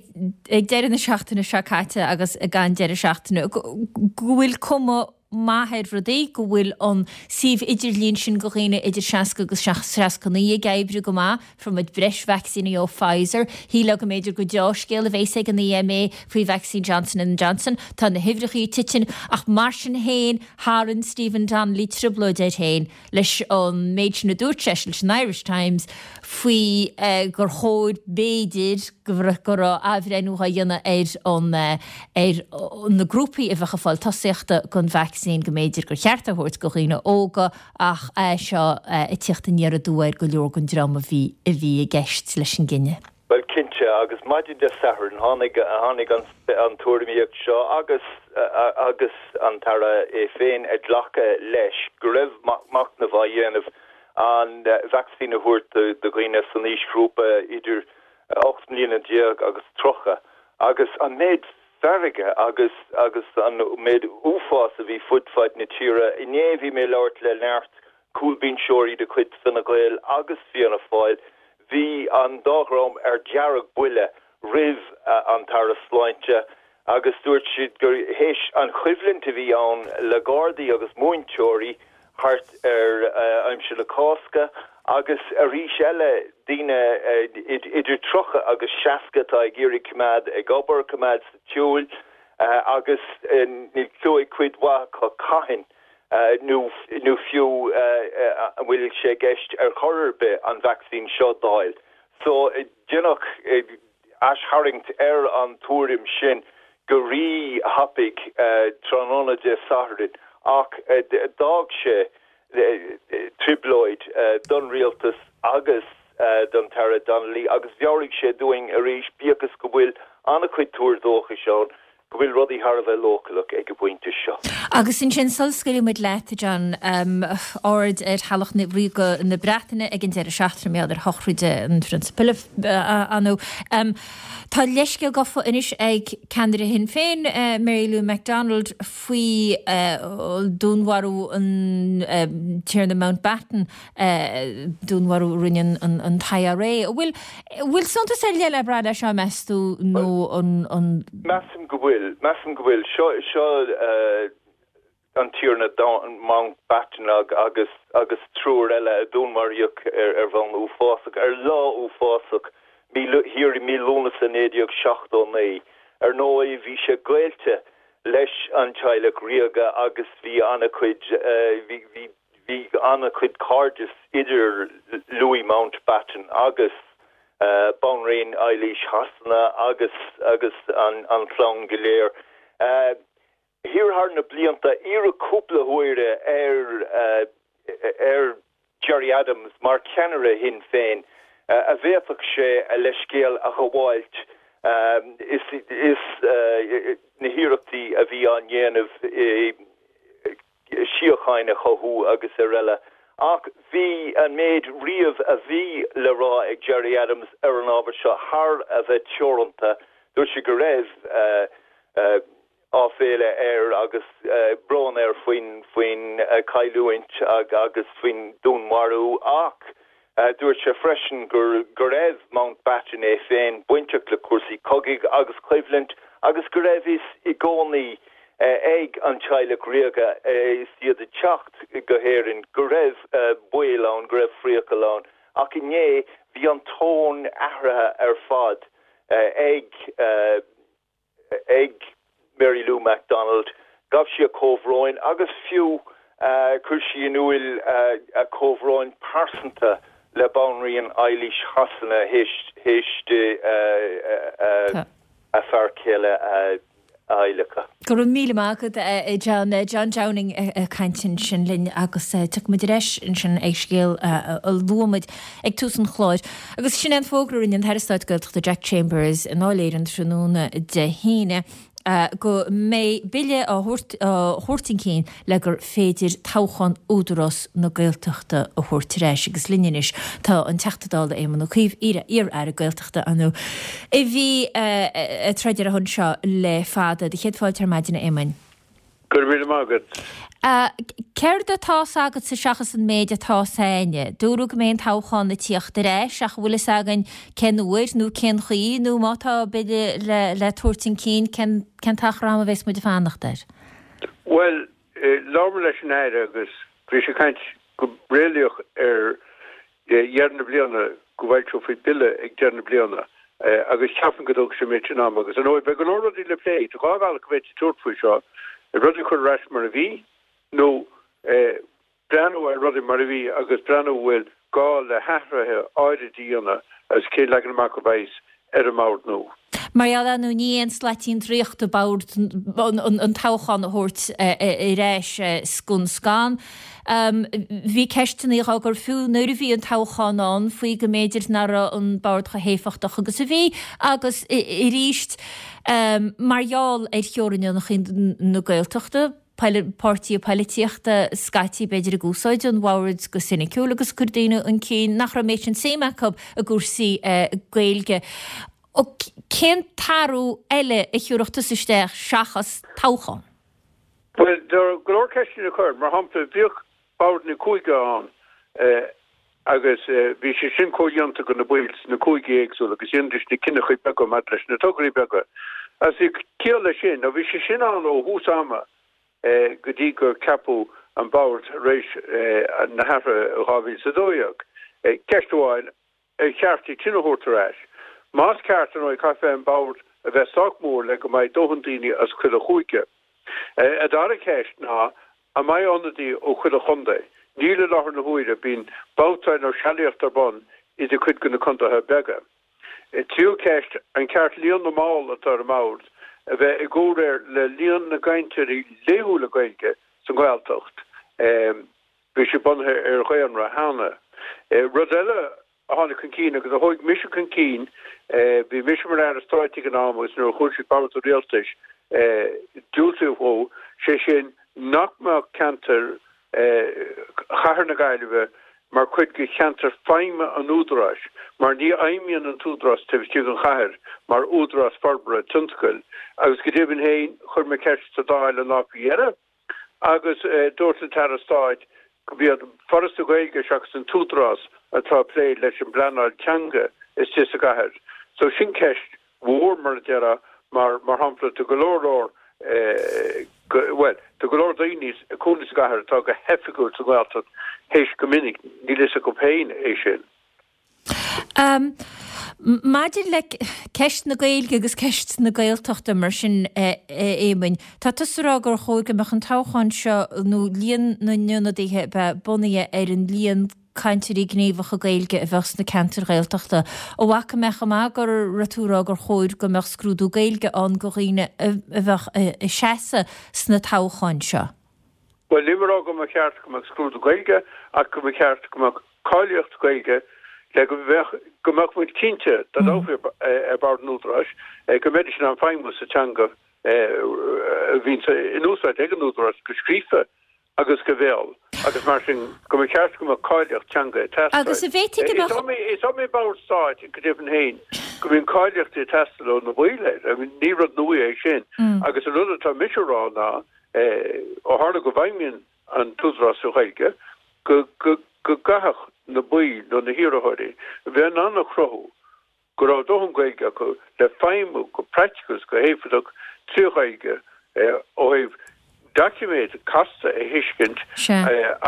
deireadh na seachtaine seo caite agus ag an deireadh seachtaine, go bhfuil cuma maith ar rudaí, go bhfuil an suíomh idirlín sin do dhaoine idir 60 agus 69 ag oibriú go maith. Fuair muid breis vacsaíní ó Pfizer. Shílfeá go mb'fhéidir gur deá-scéal a bhéas ag an EMA faoi vacsaín Johnson and Johnson. Tá na huimhreachaí ag titim ach mar sin féin tharraing Stephen Donnelly trioblóid air féin leis an méid sin a dúirt seisean leis an Irish Times faoi gur chóir b'fhéidir go raibh athbhreithniú á dhéanamh ar an ar na grúpaí a bheadh ag fáil tosaíochta don vacsaín go mb'fhéidir gur cheart é a thabhairt do dhaoine óga ach é seo ag tíocht aniar aduaidh ar go leor den dream a bhí a bhí i gceist leis an gcinneadh. Bhuel, cinnte, agus maidin Dé Sathairn tháinig tháinig an an tuairimíocht seo agus agus an tAire é féin ag glacadh leis go raibh machnamh á dhéanamh an vacsaín a thabhairt do dhaoine san aoisghrúpa idir 18 mbliana agus 30 agus an méid feirge agus agus an méid uafás a bhí fud fad na tíre. Inné bhí mé ag labhairt le neart cúlbhinseoirí de chuid Fine Gael agus Fianna Fáil. Bhí an dá dhream ar dearg-bhuile roimh an tAire Sláinte agus dúirt siad gur théis an choimhlint a bhí ann le Gardaí agus múinteoirí thart ar aimsir na Cásca agus arís eile daoine idir 30 agus 60 atá ag iarraidh coimeád ag obair, coimeád sa tsiúl agus níl clue ag cuid mhaith acu cathain. nó nó fiú an bhfuil sé i gceist ar chor ar bith an vacsaín seo d'fháil. So deineadh aistharraingt ar an tuairim sin go rí-thapaidh tráthnóna Dé Sathairn ach d'fhág sé trioblóid don rialtas agus don tAire Donnelly agus mheabhraigh sé dúinn arís, bíodh is go bhfuil an-chuid tuar dóchais ann, go bhfuil rudaí thar a bheith leochaileach ag an bpointe seo. Agus ansin, sula scaoilfidh muid leat, a John, aird ar Theaghlach Ríoga na Breataine ag an deireadh seachtaine mar gheall ar shochraid an Phrionsa Philip, ar ndóigh. Tá leithscéal gafa anois ag ceannaire Shinn Féin, Mary Lou McDonald, faoi dúnmharú an Tiarna Mountbatten, dúnmharú a rinne an t-IRA. An bhfuil bhfuil suntas ar leith le brath leis seo, meas tú, nó an. Measaim go bhfuil. Measaim go bhfuil. Seo, seo an Tiarna Mountbatten agus agus triúr eile a dúnmharaíodh ar ar bhonn uafásach, ar lá uafásach thiar i mí Lúnasa 1979. Ar ndóigh, bhí sé gaolta leis an teaghlach ríoga agus bhí an-chuid, bhí, bhí, bhí an-chuid cairdis idir Louis Mountbatten agus Banríon Eilís Shasana agus, agus an, an chlann go léir. Thiar thar na blianta, iarradh cúpla huaire ar, ar Gerry Adams mar cheannaire Shinn Féin, a bhféadfadh sé a leithscéal a ghabháilt is na hiarrachtaí a bhí á ndéanamh síocháin a chothú agus ar eile. Ach bhí an méid riamh a bhí le rá ag Gerry Adams ar an ábhar seo thar a bheith teoranta. Dúirt sé go raibh áiféala air agus brón air faoin faoin chailliúint agus faoin dúnmharú ach dúirt sé freisin gur go raibh Mountbatten é féin bainteach le cúrsaí cogaidh agus coimhlint agus go raibh fhios i gcónaí ag an teaghlach ríoga is iad ag teacht go hÉirinn go raibh baol ann, go raibh priacal ann ach inné bhí an tón athraithe ar fad ag ag Mary Lou McDonald. Ghabh sí a comhbhróin agus fiú chuir sí in iúil a comhbhróin pearsanta le Banríon Eilís Shasana théis di a fear céile a adhlacadh. Go raibh míle maith agat, a John. John Downing ag caint ansin linn agus tiocfaidh muid ar ais ansin ag scéal a luaigh muid ag tús an chláir. Agus sin é an fógra a rinne an tAire Stáit Gaeltachta Jack Chambers i nDáil Éireann tráthnóna Dé hAoine go mbeidh bille á thabhairt chun cinn le gur féidir toghchán Údarás na Gaeltachta a thabhairt ar ais. Agus linn anois tá an Teachta Dála Éamon Ó Cuív, iar-aire Gaeltachta, ar ndóigh, a bhí ag troid ar a shon seo le fada. Do chéad fáilte ar maidin, a Éamoin. Go raibh míle maith agat. Céard atá 's agatsa seachas an méid atá 's a'inne? Dúradh go mbeidh an toghchán ag tíocht ar ais ach an bhfuil fhios againn cén uair nó cén chaoi nó má tá bille le tabhairt chun cinn cén t-achar ama a bheas muid ag fanacht air? Bhuel, labhair mé leis an Aire agus bhí sé ag caint go réalaíoch ar dheireadh na bliana, go bhfoilseofaí bille ag deireadh na bliana agus ceapaim go dtógfaidh sé an méid sin ama agus ar ndóigh beidh go leor rudaí le plé. Tá dhá bhealach go bhféadfaí tabhairt faoi seo, rudaí a chur ar ais mar a bhí nó breathnú ar rudaí mar a bhí agus breathnú an bhfuil gá le hathruithe áirid a dhéanamh agus cén leagan amach a bheas ar an mbord nua. Mar gheall ar ndóigh ní aon slaitín draíochta bord an toghchán a thabhairt ar ais scun scan. Bhí ceisteanna á gcur fiú nuair a bhí an toghchán ann faoi go mb'fhéidir nach raibh an bord chomh héifeachtach agus a bhí agus arís mar gheall ar theorainneacha na Gaeltachta, páirtithe poilitíochta scaití b'fhéidir ag úsáid an bhoird go soiniciúil agus ag cur daoine chun cinn nach raibh an méid sin suim acu i gcúrsaí Gaeilge. Cén t-athrú eile a thiúrfadh tusa isteach seachas toghchán? Bhuel, tá go leor ceisteanna le cur. Mar shampla, bhíodh boird na cúige ann agus bhí sé sin comhdhéanta de na baill sna cúigí éagsúla agus dhéanaidís na cinneachaí beaga maidir leis na tograí beaga. Agus bhí ciall leis sin. Nó bhí sé sin ann ó thús ama go dtí gur ceapadh an bord tar éis na hathruithe i 2012. Ceist amháin, ar cheart iad sin a thabhairt ar ais? Más ceart, ar ndóigh, caithfidh an bord a bheith sách mór le go mbeidh dóthain daoine as chuile chúige. An dara ceist ná. An mbeidh ionadaí ó chuile chontae? Níl i láthair na huaire, bíonn babhtáil nó sealaíocht ar bun idir cuid de na contaetha beaga. Tríú ceist, an ceart líon na mball atá ar an mbord a bheith i gcomhréir le líon na gcainteoirí laethúla Gaeilge sa nGaeltacht? Bhí sé bunaithe ar dhaonra cheana. Rud eile a tháinig chun cinn agus a thóig mise chun cinn, bhí mise mar Aire Stáit ag an am agus nuair a chuaigh sé Bord an Rialtais diúltaíodh dhó, sé sin nach mbeadh ceantar Chathair na Gaillimhe mar chuid de cheantar feidhme an Údaráis mar ní fheidhmíonn an tÚdarás taobh istigh den chathair mar údarás forbartha tionscail agus go deimhin féin chuir mé ceist sa Dáil an lá faoi dheireadh Agus dúirt an tAire Stáit gurb iad Foras na Gaeilge seachas an tÚdarás atá ag plé leis an bpleanáil teanga istigh sa gcathair. So sin ceist mhór mar a déarfá mar, mar shampla, tá go leor leor, bhuel, tá go leor daoine ag cónaí sa gcathair atá go hoifigiúil sa nGaeltacht théis go minic, níl fhios acu féin é sin. Maidir le ceist na Gaeilge agus ceist na Gaeltachta mar sin, a Éamoinn, tá tusa ag rá gur chóir go mbeadh an toghchán seo nó líon na n-ionadaithe a bheith bunaithe ar an líon cainteoirí gníomhacha Gaeilge a bheadh sna ceantair Ghaeltachta. An bhfaca mé chomh maith go raibh tú ag rá gur chóir go mbeadh scrúdú Gaeilge ann do dhaoine a bheadh ag seasamh sna toghcháin seo? Bhuel, nílim ag rá go mba cheart go mbeadh scrúdú Gaeilge ach go mba cheart go mbeadh cáilíocht Ghaeilge le go mbeadh go mbeadh muid cinnte dá dtoghfaí ar bhord an Údaráis go mbeidís in ann feidhmiú sa teanga a bhíonn in úsáid ag an Údarás go scríofa agus go béal agus mar sin go mba cheart go mbeadh cáilíocht teanga ag teastáil. Agus an bhféadfaí go mbeadh. Is iomaí bord stáit go deimhin féin go mbíonn cáilíochtaí ag teastáil ó na baill air. I mean, ní rud nua é sin. Agus an rud atá mise a rá ná ó tharla go bhfeidhmíonn an tÚdarás sa Ghaeilge, go gcaithfeadh na baill nó na hiarrthóirí a bheith in ann a chruthú go raibh dóthain Gaeilge acu le feidhmiú go praiticiúil is go héifeachtach trí Ghaeilge ó thaobh doiciméad casta a thuiscint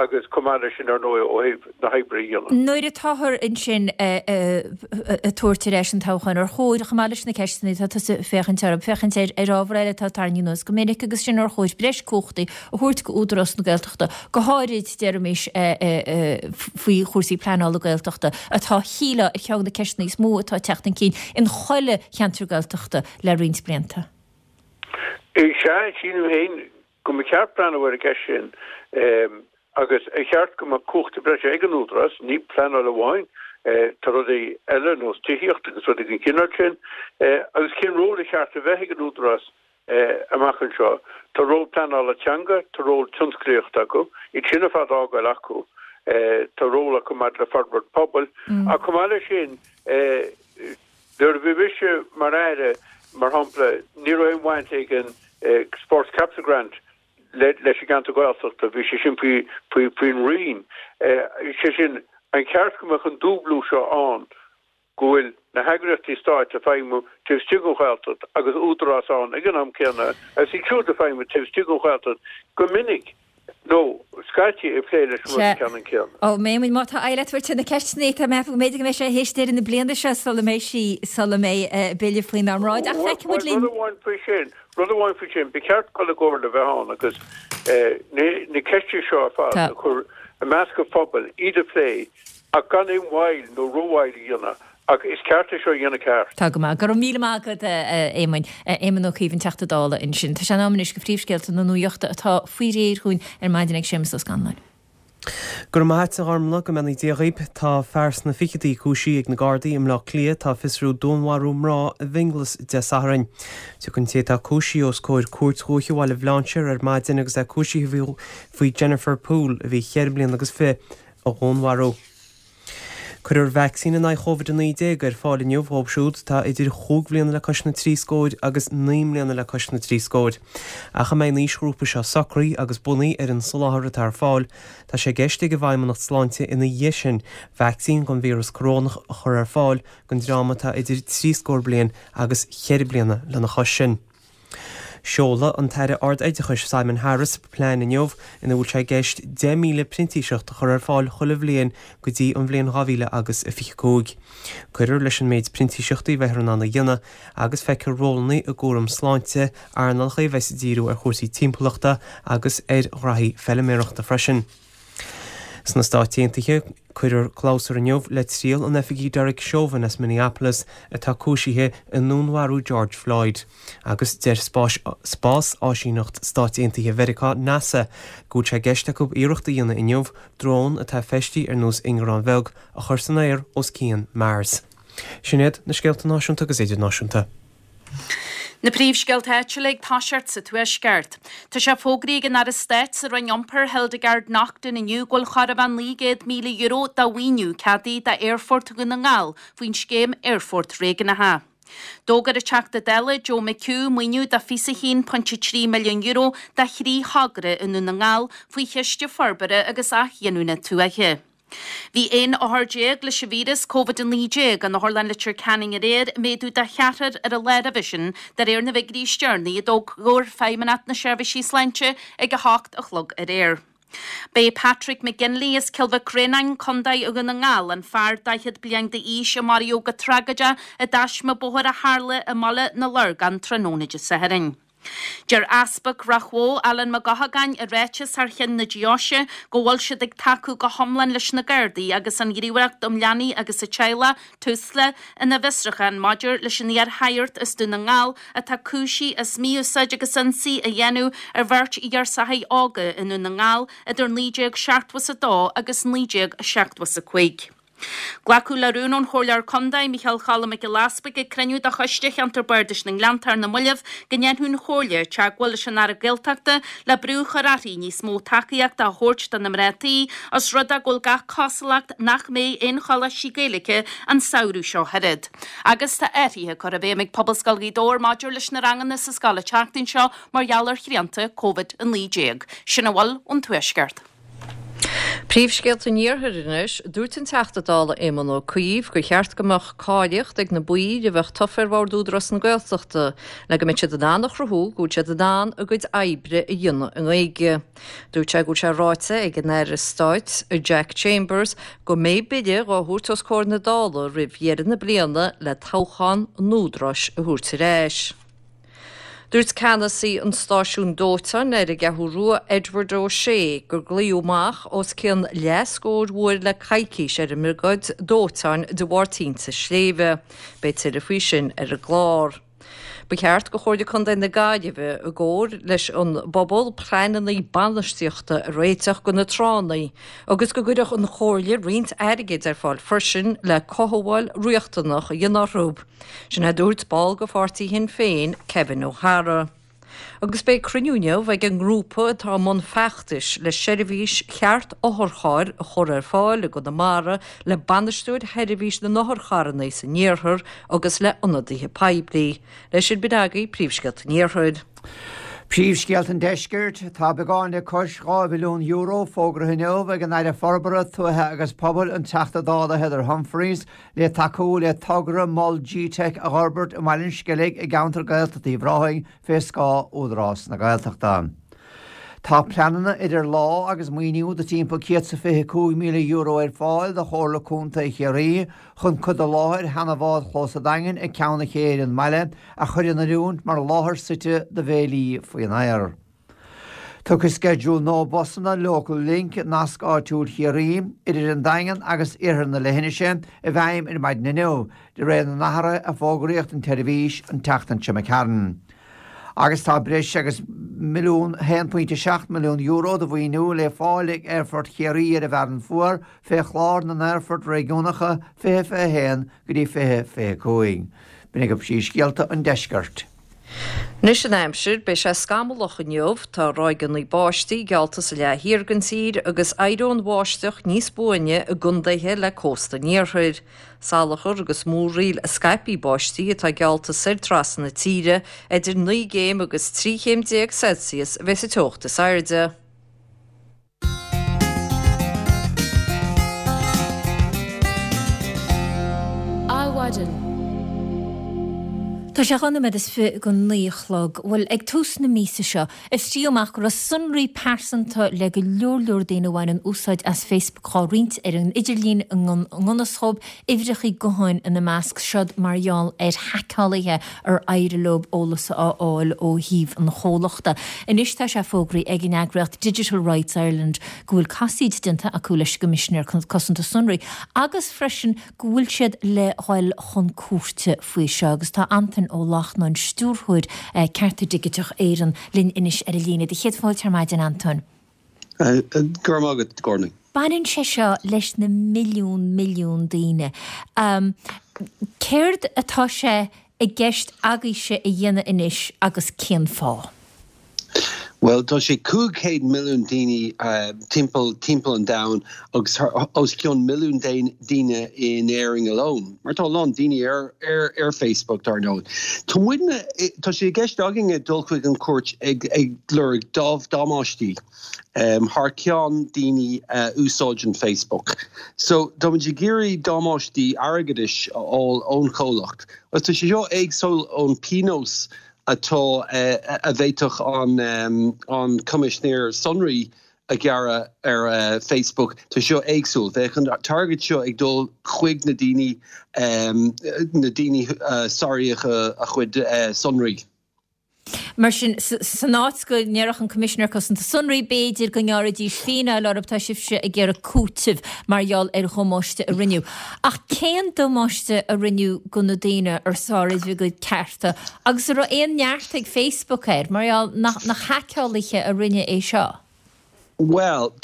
agus chomh maith leis sin, ar ndóigh, ó thaobh na hoibre a dhéanamh. Nuair atáthar ansin ag tabhairt ar ais an toghchán, ar chóir, chomh maith leis na ceisteanna atá tusa ag féachaint orthu, féachaint ar ábhar eile atá tarraingthe anuas go minic agus sin ar chóir breis cumhachtaí a thabhairt go Údarás na Gaeltachta, go háirid, deirimis, faoi chúrsaí pleanála Gaeltachta, atá, shílfeá, ar cheann de na ceisteanna is mó atá ag teacht chun cinn in chuile cheantar Gaeltachta le roinnt blianta. Sea, sílim féin go mba cheart breathnú ar an gceist sin agus ar cheart go mbeadh cumhachtaí breise ag an Údarás, ní pleanáil amháin, tá rudaí eile ar nós tithíocht agus rudaí den chineál sin, agus cén ról a cheart a bheith ag an Údarás amach anseo. Tá ról pleanála teanga, tá ról tionsclaíochta acu, iad sin ar fad a fhágáil acu, tá ról acu maidir le forbairt pobail, ach chomh maith leis sin, nuair a bhí mise mar Aire, mar shampla, ní raibh aon bhaint ag an Sports Capital Grant leis an gceantar Gaeltachta, bhí sé sin faoin Roinn. Sé sin, an ceart go mbeadh an dúblú seo ann go bhfuil na heagraíochtaí stáit ag feidhmiú taobh istigh den Ghaeltacht agus údarás ann ag an am céanna agus iad siúd ag feidhmiú taobh istigh den Ghaeltacht go minic nó scaití ag plé leis an rud ceannann céanna. Ó, a Éamoinn, má tá aghaidh le tabhairt ar na ceisteanna, tá mé ag ceapadh go mb'fhéidir go mbeidh sé théis deireadh na bliana seo sula mbeidh sí, sula mbeidh bille faoinár mbráid. Ach feicfidh muid linn. Rud amháin faoi sin, rud amháin faoi sin, ba cheart dul i gcomhairle a bheith ann agus na ceisteanna seo ar fad a chur i measc an phobail, iad a phlé Ach gan aon mhoill nó rómhoill a dhéanamh, ach is ceart é seo a dhéanamh ceart. Tá go maith. Go raibh míle maith agat, a Éamoinn. Éamon Ó Cuív, an Teachta Dála ansin. Tá sé in am anois do phríomhscéalta na nuachta atá faoi réir dhúinn ar maidin ag Séamus Ó Scanláin. Go raibh maith a't, a Ghormlaith, go mbeannaí Dia dhaoib. Tá fear sna ficheadaí cúisithe ag na Gardaí i mBleá Cliath atá ag fiosrú dúnmharú mná i bhFionnghlas Dé Sathairn. Tiocfaidh an té atá cúisithe os comhair Cúirt Dhúiche Bhaile Bhlainséir ar maidin agus é cúisithe faoi Jennifer Poole, a bhí cheithre bliana agus fiche, a dhúnmharú. Cuirfear vacsaín in aghaidh Covid-19 ar fáil inniu dhóibh siúd atá idir chúig bhliana le cois na dtrí scóir agus naoi mbliana le cois na dtrí scóir. Ach a mbeidh an aoisghrúpa seo socraithe agus bunaithe ar an soláthar atá ar fáil, tá sé i gceist ag an bhFeidhmeannacht Sláinte ina dhiaidh sin vacsaín don víreas corónach a chur ar fáil don dream atá idir trí scór bliain agus cheithre bliana lena chois sin. Seolfaidh an tAire Ard-Oideachais Simon Harris plean inniu ina bhfuil sé i gceist 10,000 printíseacht a chur ar fáil chuile bhliain go dtí an bhliain 2025. Cuirfear leis an méid printíseachtaí a bheifear in ann a dhéanamh agus feicfear rólanna i gcúram sláinte, earnálacha a bheas ag díriú ar chúrsaí timpeallachta agus ar ghraithí feiliméarachta freisin. Sna Stáit Aontaithe, cuirfear clabhsúr inniu le triail an oifigigh Derek Chauvin as Minneapolis atá cúisithe i ndúnmharú George Floyd. Agus deir Spás-Áisíneacht Stáit Aontaithe Mheiriceá, NASA, go bhfuil sé i gceist acu iarracht a dhéanamh inniu drón atá feistithe ar nós ingearán bheag a chur san aer os cionn Mars. Sin iad na scéalta náisiúnta agus idirnáisiúnta. Na príomhscéalta áitiúla ag toiseacht sa Tuaisceart. Tá sé fógraithe ag an Aire Stáit sa Roinn Iompair, Hildegarde Naughton inniu go bhfuil chóir a bheith €900,000 de mhaoiniú ceadaithe d'Aerfort Dhún na nGall faoin scéim Aerfoirt Réigiúnacha. D'fhógair an Teachta Dála Joe McHugh maoiniú de €21.3 milliún do thrí thogra i nDún na nGall faoi Chiste Forbartha agus Athghiniúna Tuaithe. Bhí 11 othar leis an víreas Covid-19 in Otharlann Leitir Ceanainn aréir, méadú de cheathrar ar an lá roimhe sin, de réir na bhfigiúirí is deireanaí a d'fhógair Feidhmeannacht na Seirbhísí Sláinte ag 8 a chlog aréir. B'é Patrick McGinley as Cill Mhic Réanáin, Contae Dhún na nGall, an fear 40 bliain d'aois a maraíodh go tragóideach i dtaisme bóthair a tharla i mBaile na Lorgan tráthnóna Dé Sathairn. Deir Easpag Ráth Bhoth, Alan Mac Eochagáin, i ráiteas thar cheann na deoise go bhfuil siad ag tacú go hiomlán leis na Gardaí agus an Ghníomhaireacht um Leanaí agus an Teaghlach, Tusla, ina bhfiosrúchán maidir leis an iar-shagart as Dún na nGall atá cúisithe as mí-úsáid agus ionsaí a dhéanamh ar bheirt ghirseacha óga i nDún na nGall idir 1972 agus 1975. Glacadh le rún ón Chomhairleoir Contae, Micheál Choilm Mac Giolla Easpaig ag cruinniú de Choiste Cheantar Bardais na nGleannta ar na mallaibh go ndéanfadh an Chomhairle teagmháil leis an Aire Gaeltachta le brú a chur uirthi níos mó tacaíochta a thabhairt do na mná tí os rud é go bhfuil gach cosúlacht nach mbeidh aon choláistí Gaeilge an samhradh seo chugainn. Agus tá athruithe curtha i bhfeidhm ag Pobalscoil Ghaoth Dobhair maidir leis na ranganna sa scoil an tseachtain seo mar gheall ar shrianta Covid-19. Sin a bhfuil ón Tuaisceart. Príomhscéalta an Iarthair anois. Dúirt an Teachta Dála Éamon Ó Cuív gur cheart go mbeadh cáilíocht ag na baill a bheadh tofa ar Bhord Údarás na Gaeltachta le go mbeidh siad in ann a chruthú go bhfuil siad in ann a gcuid oibre a dhéanamh i nGaeilge. Dúirt sé go bhfuil sé ráite ag an Aire Stáit Jack Chambers go mbeidh bille dhá thabhairt os comhair na Dála roimh dheireadh na bliana le toghchán an Údaráis a thabhairt ar ais. Dúirt ceannasaí an stáisiúin dóiteáin ar an gCeathrú Rua, Edward O'Shea, gur glaodh amach os cionn leathscór uair le coicís ar an mbriogáid dóiteáin de bharr tinte sléibhe. Beidh tuilleadh faoi sin ar an gclár. Ba cheart do Chomhairle Contae na Gaillimhe, i gcomhar leis an bpobal, pleananna bainistíochta a réiteach do na tránna agus go gcuirfeadh an Chomhairle roinnt airgid ar fáil freisin le cothabháil riachtanach a dhéanamh orthu. Sin a dúirt ball de pháirtí Shinn Féin, Kevin O'Hara. Agus beidh cruinniú inniu ag an ngrúpa atá i mbun feachtais le seirbhís cheart otharchairr a chur ar fáil i gConamara le bainisteoir sheirbhís na n-otharcharranna san iarthar agus le ionadaithe poiblí. Leis sin b'in agaibh príomhscéalta an iarthair. Príomhscéalta an Deiscirt, Tá beagán le cois €2 mhilliún fógraithe inniu ag an Aire Forbartha Tuaithe agus Pobail, an Teachta Dála Heather Humphreys, le tacú le togra Mol G-Teic a dh'fhorbairt i mBaile an Sceilg i gceantar Gaeltachta Uíbh Ráthaigh fé scáth Údarás na Gaeltachta. Tá pleananna idir lámha agus maoiniú de timpeall €125,000 ar fáil do Chomhairle Contae Chiarraí chun cuid de láthair sheana bhádchlós an Daingin ag Ceann an Ché ar an mbaile a chur in oiriúint mar láthair suite do bhéilí faoin aer. Tiocfaidh sceideal nua busanna Local Link, Nasc Áitiúil Chiarraí, idir an Daingean agus iarthar na leithinise i bhfeidhm ar maidin inniu, de réir na n-athruithe a fógraíodh don tseirbhís an tseachtain seo imigh tharainn. Agus tá breis agus €1.7 milliún de mhaoiniú le fáil ag Aerfort Chiarraí ar an bhFearann Fuar fé chlár na nAerfort Réigiúnacha 2021 go dtí 2025. B'in agaibh príomhscéalta an deiscirt. Anois an aimsir, beidh sé scamallach inniu, tá ráigeanna báistí geallta sa leath thiar den tír agus éireoidh an bháisteach níos buaine i gcontaetha le cósta an iarthair. Salachar agus múraíl scaipthe báistí atá geallta soir trasna na tíre, idir 9 gcéim agus 13 chéim Celsius a bheidh sa teocht is airde. Adhmhaidin. Tá sé 2 nóiméad is fi go 9 a chlog. Bhuel, ag tús na míosa seo, fiosraíodh amach go raibh sonraí pearsanta le go leor leor daoine a bhaineann úsáid as Facebook dhá roinnt ar an idirlíon i ngan fhios dhóibh, uimhreachaí gutháin ina measc, seod mar gheall ar haiceálaithe ar éirigh leo eolas a fháil ó thaobh an chomhlachta. Anois tá sé fógraithe ag an eagraíocht Digital Rights Ireland go bhfuil casaoid déanta acu leis an gCoimisinéir Cosanta Sonraí agus freisin go bhfuil siad le dhul chun cúirte faoi seo agus tá Antain Ó Lachtnáin, Stiúrthóir Cearta Digiteach Éireann, linn anois ar an líne. Do chéad fáilte ar maidin, Antain. Go raibh maith agat, Gráinne. Baineann sé seo leis na milliún milliún daoine. Céard atá sé i gceist agaibhse a dhéanamh anois agus cén fáth? Bhuel, tá sé 500 milliún daoine timpeall timpeall an domhain agus os cionn milliún daoine in Éirinn alone, mar tá a lán daoine ar ar ar Facebook dar ndóigh. Tá muidne, tá sé i gceist againne dul chuig an chúirt ag ag lorg damáistí thar ceann daoine a úsáideann Facebook. So tá muid ag iarraidh damáistí airgeadais a fháil ón chomhlacht. Agus tá sé seo éagsúil ón pionós atá a bhféadfadh an Coimisinéir Sonraí a ghearradh ar Facebook. Tá seo éagsúil. Bheadh an t-airgead seo ag dul chuig na daoine, na daoine a sáraíodh a chuid sonraí. Mar sin, san áit go ndéarfadh an Coimisinéir Cosanta Sonraí, b'fhéidir, go ngearrfaidís fíneáil orthu, tá sibhse ag iarraidh cúiteamh mar gheall ar dhamáiste a rinneadh. Ach cén damáiste a rinneadh go na daoine ar sáraíodh a gcuid cearta Agus an raibh aon neart ag Facebook air, mar gheall nach nach haiceálaithe a rinne é seo? Bhuel,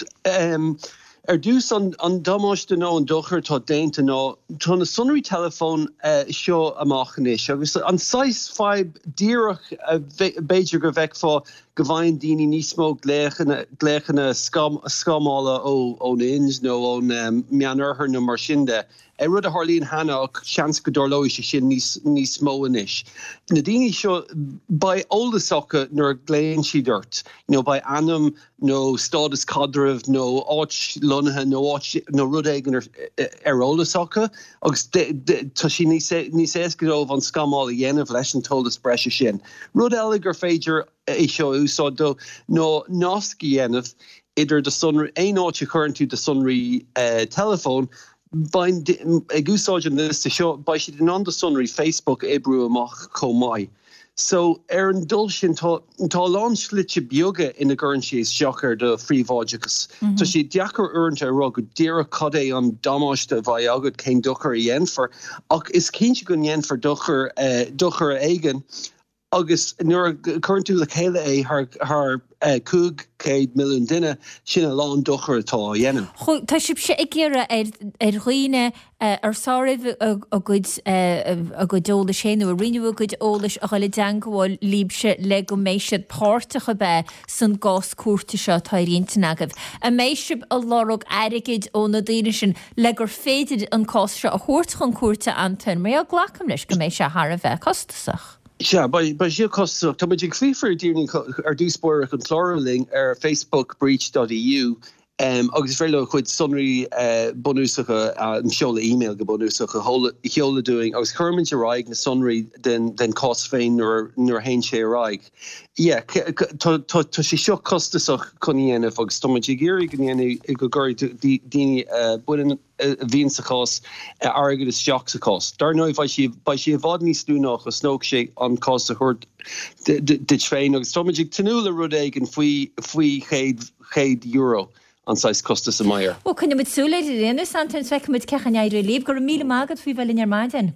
ar dtús, an damáiste nó an dochar atá déanta ná tá na sonraí teileafóin seo amach anois agus an saghas fadhb díreach b'fhéidir go bhfeicfeá go bhfaigheann daoine níos mó glaochanna glaochanna scamála ón Ind nó ón Meánoirthear nó mar sin de. Rud a tharlaíonn cheana ach seans go dtarlóidh sé sin níos mó anois. Na daoine seo, beidh eolas acu nuair a ghlaonn siad ort, you know, beidh ainm nó stádas caidrimh nó áit lonnaithe nó áit nó rud éigin ar eolas acu agus tá sé níos éasca dóibh an scamáil a dhéanamh leis an t-eolas breise sin. Rud eile gur féidir é seo a úsáid dó ná nasc a dhéanamh idir do sonraí, aon áit a chuireann tú do sonraí teileafóin, Beidh, ag úsáid an liosta seo, beidh siad in ann do sonraí Facebook a oibriú amach chomh maith. So, ar an dul sin, tá, tá a lán slite beaga ina gcuireann sé isteach ar do phríobháideachas. Tá sé deacair uaireanta a rá go díreach cad é an damáiste a bheidh agat, cén dochar a dhéanfar, ach is cinnte go ndéanfar dochar, dochar éigin. Agus nuair a chuireann tú le chéile é thar 500 milliún duine, sin a lán dochair atá á dhéanamh. Tá sibhse ag iarraidh ar dhaoine ar sáraíodh a gcuid a gcuid eolais féin nó a roinneadh a gcuid eolais a dhul i dteangmháil libhse le go mbeidh siad páirteach ab ea san gcás cúirte seo atá ar intinn agaibh. An mbeidh sibh ag lorg airgid ó na daoine sin le gur féidir an cás seo a thabhairt chun cúirte, Antain? Mar gheall, glacaim leis go mbeidh sé thar a bheith costasach. Sea, beidh sé costasach. Tá muid ag fiafraí ar dhaoine ar dtús báire chun clárú linn ar facebookbreach dot eu agus is féidir leo a gcuid sonraí bunúsacha, an seoladh email go bunúsach, a sheoladh dúinn agus cuirfimid ar aghaidh na sonraí den chás féin nuair a théann sé ar aghaidh. Yeah, tá sé seo costasach chun a dhéanamh agus tá muid ag iarraidh go ndéanfaidh, go gcuirfidh daoine a bhaineann, a bhíonn sa chás, airgead isteach sa chás. Dar ndóigh, beidh sé, beidh sé i bhfad níos lú ná a chosnódh sé an cás a thabhairt duit féin agus táimid ag tnúth le rud éigin faoi, faoi €100 an saghas costas a mbeidh air. Bhuel, coinneoidh muid súil air ar aon nós, Antain, is feicfidh muid cén chaoi a n-éireoidh libh. Go raibh míle maith agat faoi bheith linn ar maidin.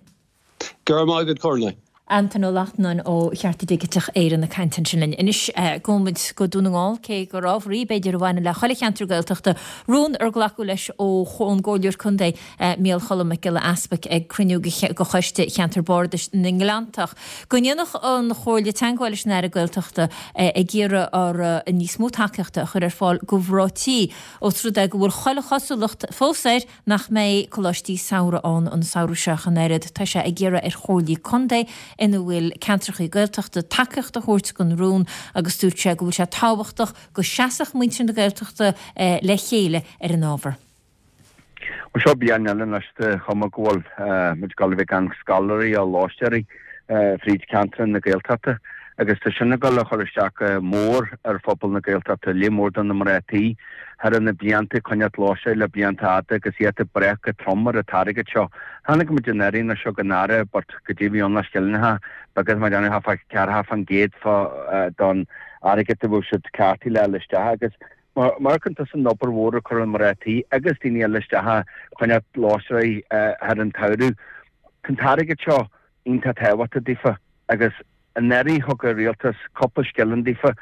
Go raibh maith agat, Gráinne. Antain Ó Lachtnáin ó Chearta Digiteach Éireann ag caint ansin linn. Anois, gabhfaidh muid go Dún na nGall, cé gur ábhar í, b'fhéidir, a bhaineann le chuile cheantar Gaeltachta, rún ar glacadh leis ón gComhairleoir Contae, Micheál Choilm Mac Giolla Easpaig ag cruinniú de Choiste Cheantar Bardais na nGleanntach, go ndéanfadh an Chomhairle teagmháil leis an Aire Gaeltachta ag iarraidh orthu níos mó tacaíochta a chur ar fáil do mhná tí, ós rud é go bhfuil chuile chosúlacht fós air nach mbeidh coláistí samhraidh ann an samhradh seo ach an oiread. Tá sé ag iarraidh ar chomhairlí contae ina bhfuil ceantrachaí Gaeltachta tacaíocht a thabhairt don rún agus dúirt sé go bhfuil sé tábhachtach go seasfadh muintir na Gaeltachta le chéile ar an ábhar. Bhuel, seo bliain eile anois de chuma go bhfuil muid ag dul a bheith gan scoláirí á lóistéirí. fríd ceantar na Gaeltachta agus tá sin ag dul a chur isteach go mór ar phobal na Gaeltachta, lear mór de na mná tí thar na blianta ag coinneáilt lóistín le blianta fhada agus iad ag brath go trom ar an t-airgead seo. Chonaic muid an Aire seo don Aire but goidé a bhí ann le scillingeacha beaga mar déanamh fá 40% fá don airgead a bhfuil siad ceartaithe le fháil isteach agus Mar amharcann tusa an obair mhór a chuir an mná tí agus daoine eile isteach a choinneáilt lóistín thar an tsamhradh, tá an t-airgead seo iontach tábhachtach daofa agus anuraidh thug an rialtas cúpla scilling daofa,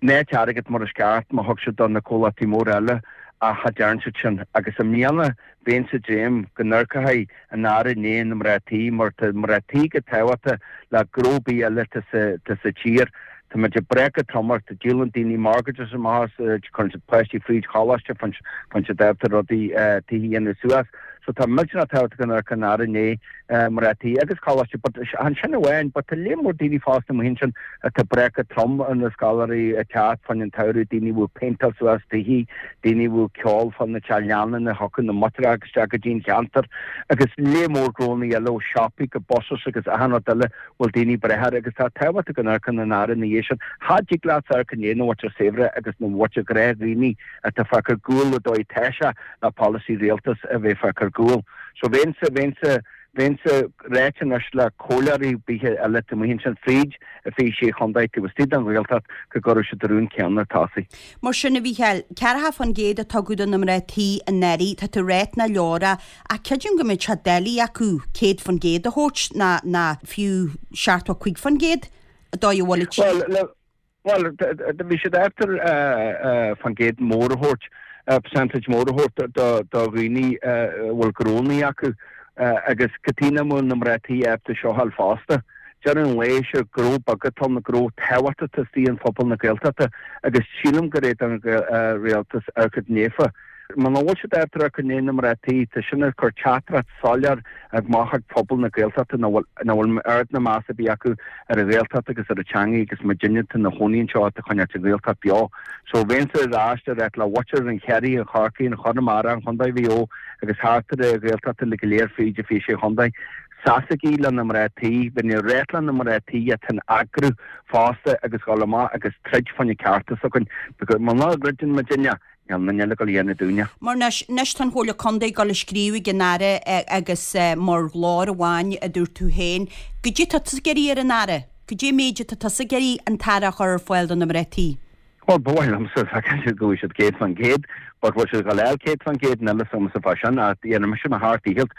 nach airgead mar is ceart mar thug siad do na comhlachtaí móra eile ach cha dtearn siad sin agus i mbliana bheinnse ag dréim go n-amharcfaidh an Aire i ndiaidh na mná tí mar tá mná tí go tábhachtach le gnó ar bith eile atá sa tír. Tá muid ag brath go trom orthu, díolann daoine mortgages amach as, cuireann siad páistí fríd choláiste, faigheann siad ábalta rudaí tithe a dhéanamh suas. So tá millteanach tábhachtach go n-amharcfadh an Aire i ndiaidh mná tí agus coláiste but chan sin amháin but tá lear mór daoine fosta amuigh ansin atá ag brath go trom ar na scoláirí ag teacht fá choinne an tsamhraidh, daoine a bhfuil péinteáil suas tithe, daoine a bhfuil ceol fá na teach leanna a thiocfadh na motaracha isteach go dtí an cheantar agus lear mór gnónna eile ó siopaí go buses agus achan rud eile bhfuil daoine ag brath air agus tá tábhacht go n-amharcann an Aire ina dhiaidh sin. Cha dtig leat amharc i ndiaidh na mhuintir saibhre agus na mhuintir gnáthdhaoine atá fágtha ar gcúl le dóigh tá sé le polasaí rialtas a bheith fágtha ar gcúl. So bheinnse, bheinnse, bheinnse ráite anois le comhairleoirí ar bith eile taobh amuigh ansin fríd an 26 chontae taobh istigh den Ghaeltacht go gcuirfeadh siad an rún céanna ar tosaigh. Mar sin, a Mhícheáil, 40% a tugadh do na mná tí anuraidh, tá tú ag ráit nach leor é, ach creidim go mbeadh sé doiligh acu 100% a thabhairt ná ná fiú 75% dóigh a bhfuil an tír. Bhuel, bhuel, bhí siad after faoin gcéad mór a thabhairt, percentage mór a thabhairt do dhaoine a bhfuil gnónnaí acu agus cad chuige nach bhfuil na mná tí ábalta seo a fháil fosta. Deireadh an lae, sé gnó beag atá ann, gnó tábhachtach atá istigh in phobal na Gaeltachta agus sílim gur é don rialtas amharc daofa. Muna bhfuil siad ábalta amharc i ndiaidh na mná tí, tá sin ag cur teachtaireacht soiléir amach ag pobal na Gaeltachta nach bhfuil nach bhfuil oiread ná meas ar bith acu ar an Ghaeltacht agus ar an teangaidh agus muidinne atá ina chónaí anseo atá ag coinneáilt an Ghaeltacht beo. So bheinnse ar ais ag ráit le mhuintir an Chiarraí, an Chorcaí, an Chonamara, an Chontae Mhaigh Eo agus thart ar an Ghaeltacht uilig go léir fríd an 26 chontae. Seasaigí le na mná tí, bheinn ag ráit le na mná tí atá in eagrú fosta agus dhul amach agus troid fá choinne cearta s'againn because muna dtroideann muidinne, Níl aon duine eile ag dul a dhéanamh dúinne. Mar anois, anois tá an Chomhairle Contae ag dul ag scríobh ag an Aire agus mar ghlór amháin a dúirt tú féin, goidé tá tusa ag iarraidh ar an Aire? Goidé an méid atá tusa ag iarraidh an tAire a chur ar fáil do na mná tí? Bhuel, ba mhaith liomsa feiceáil go bhfaighidh siad 100% but bhfuil siad ag dul a fháil 100% níl a fhios agamsa fá sin ach dhéanfaidh mise mo sheacht ndícheall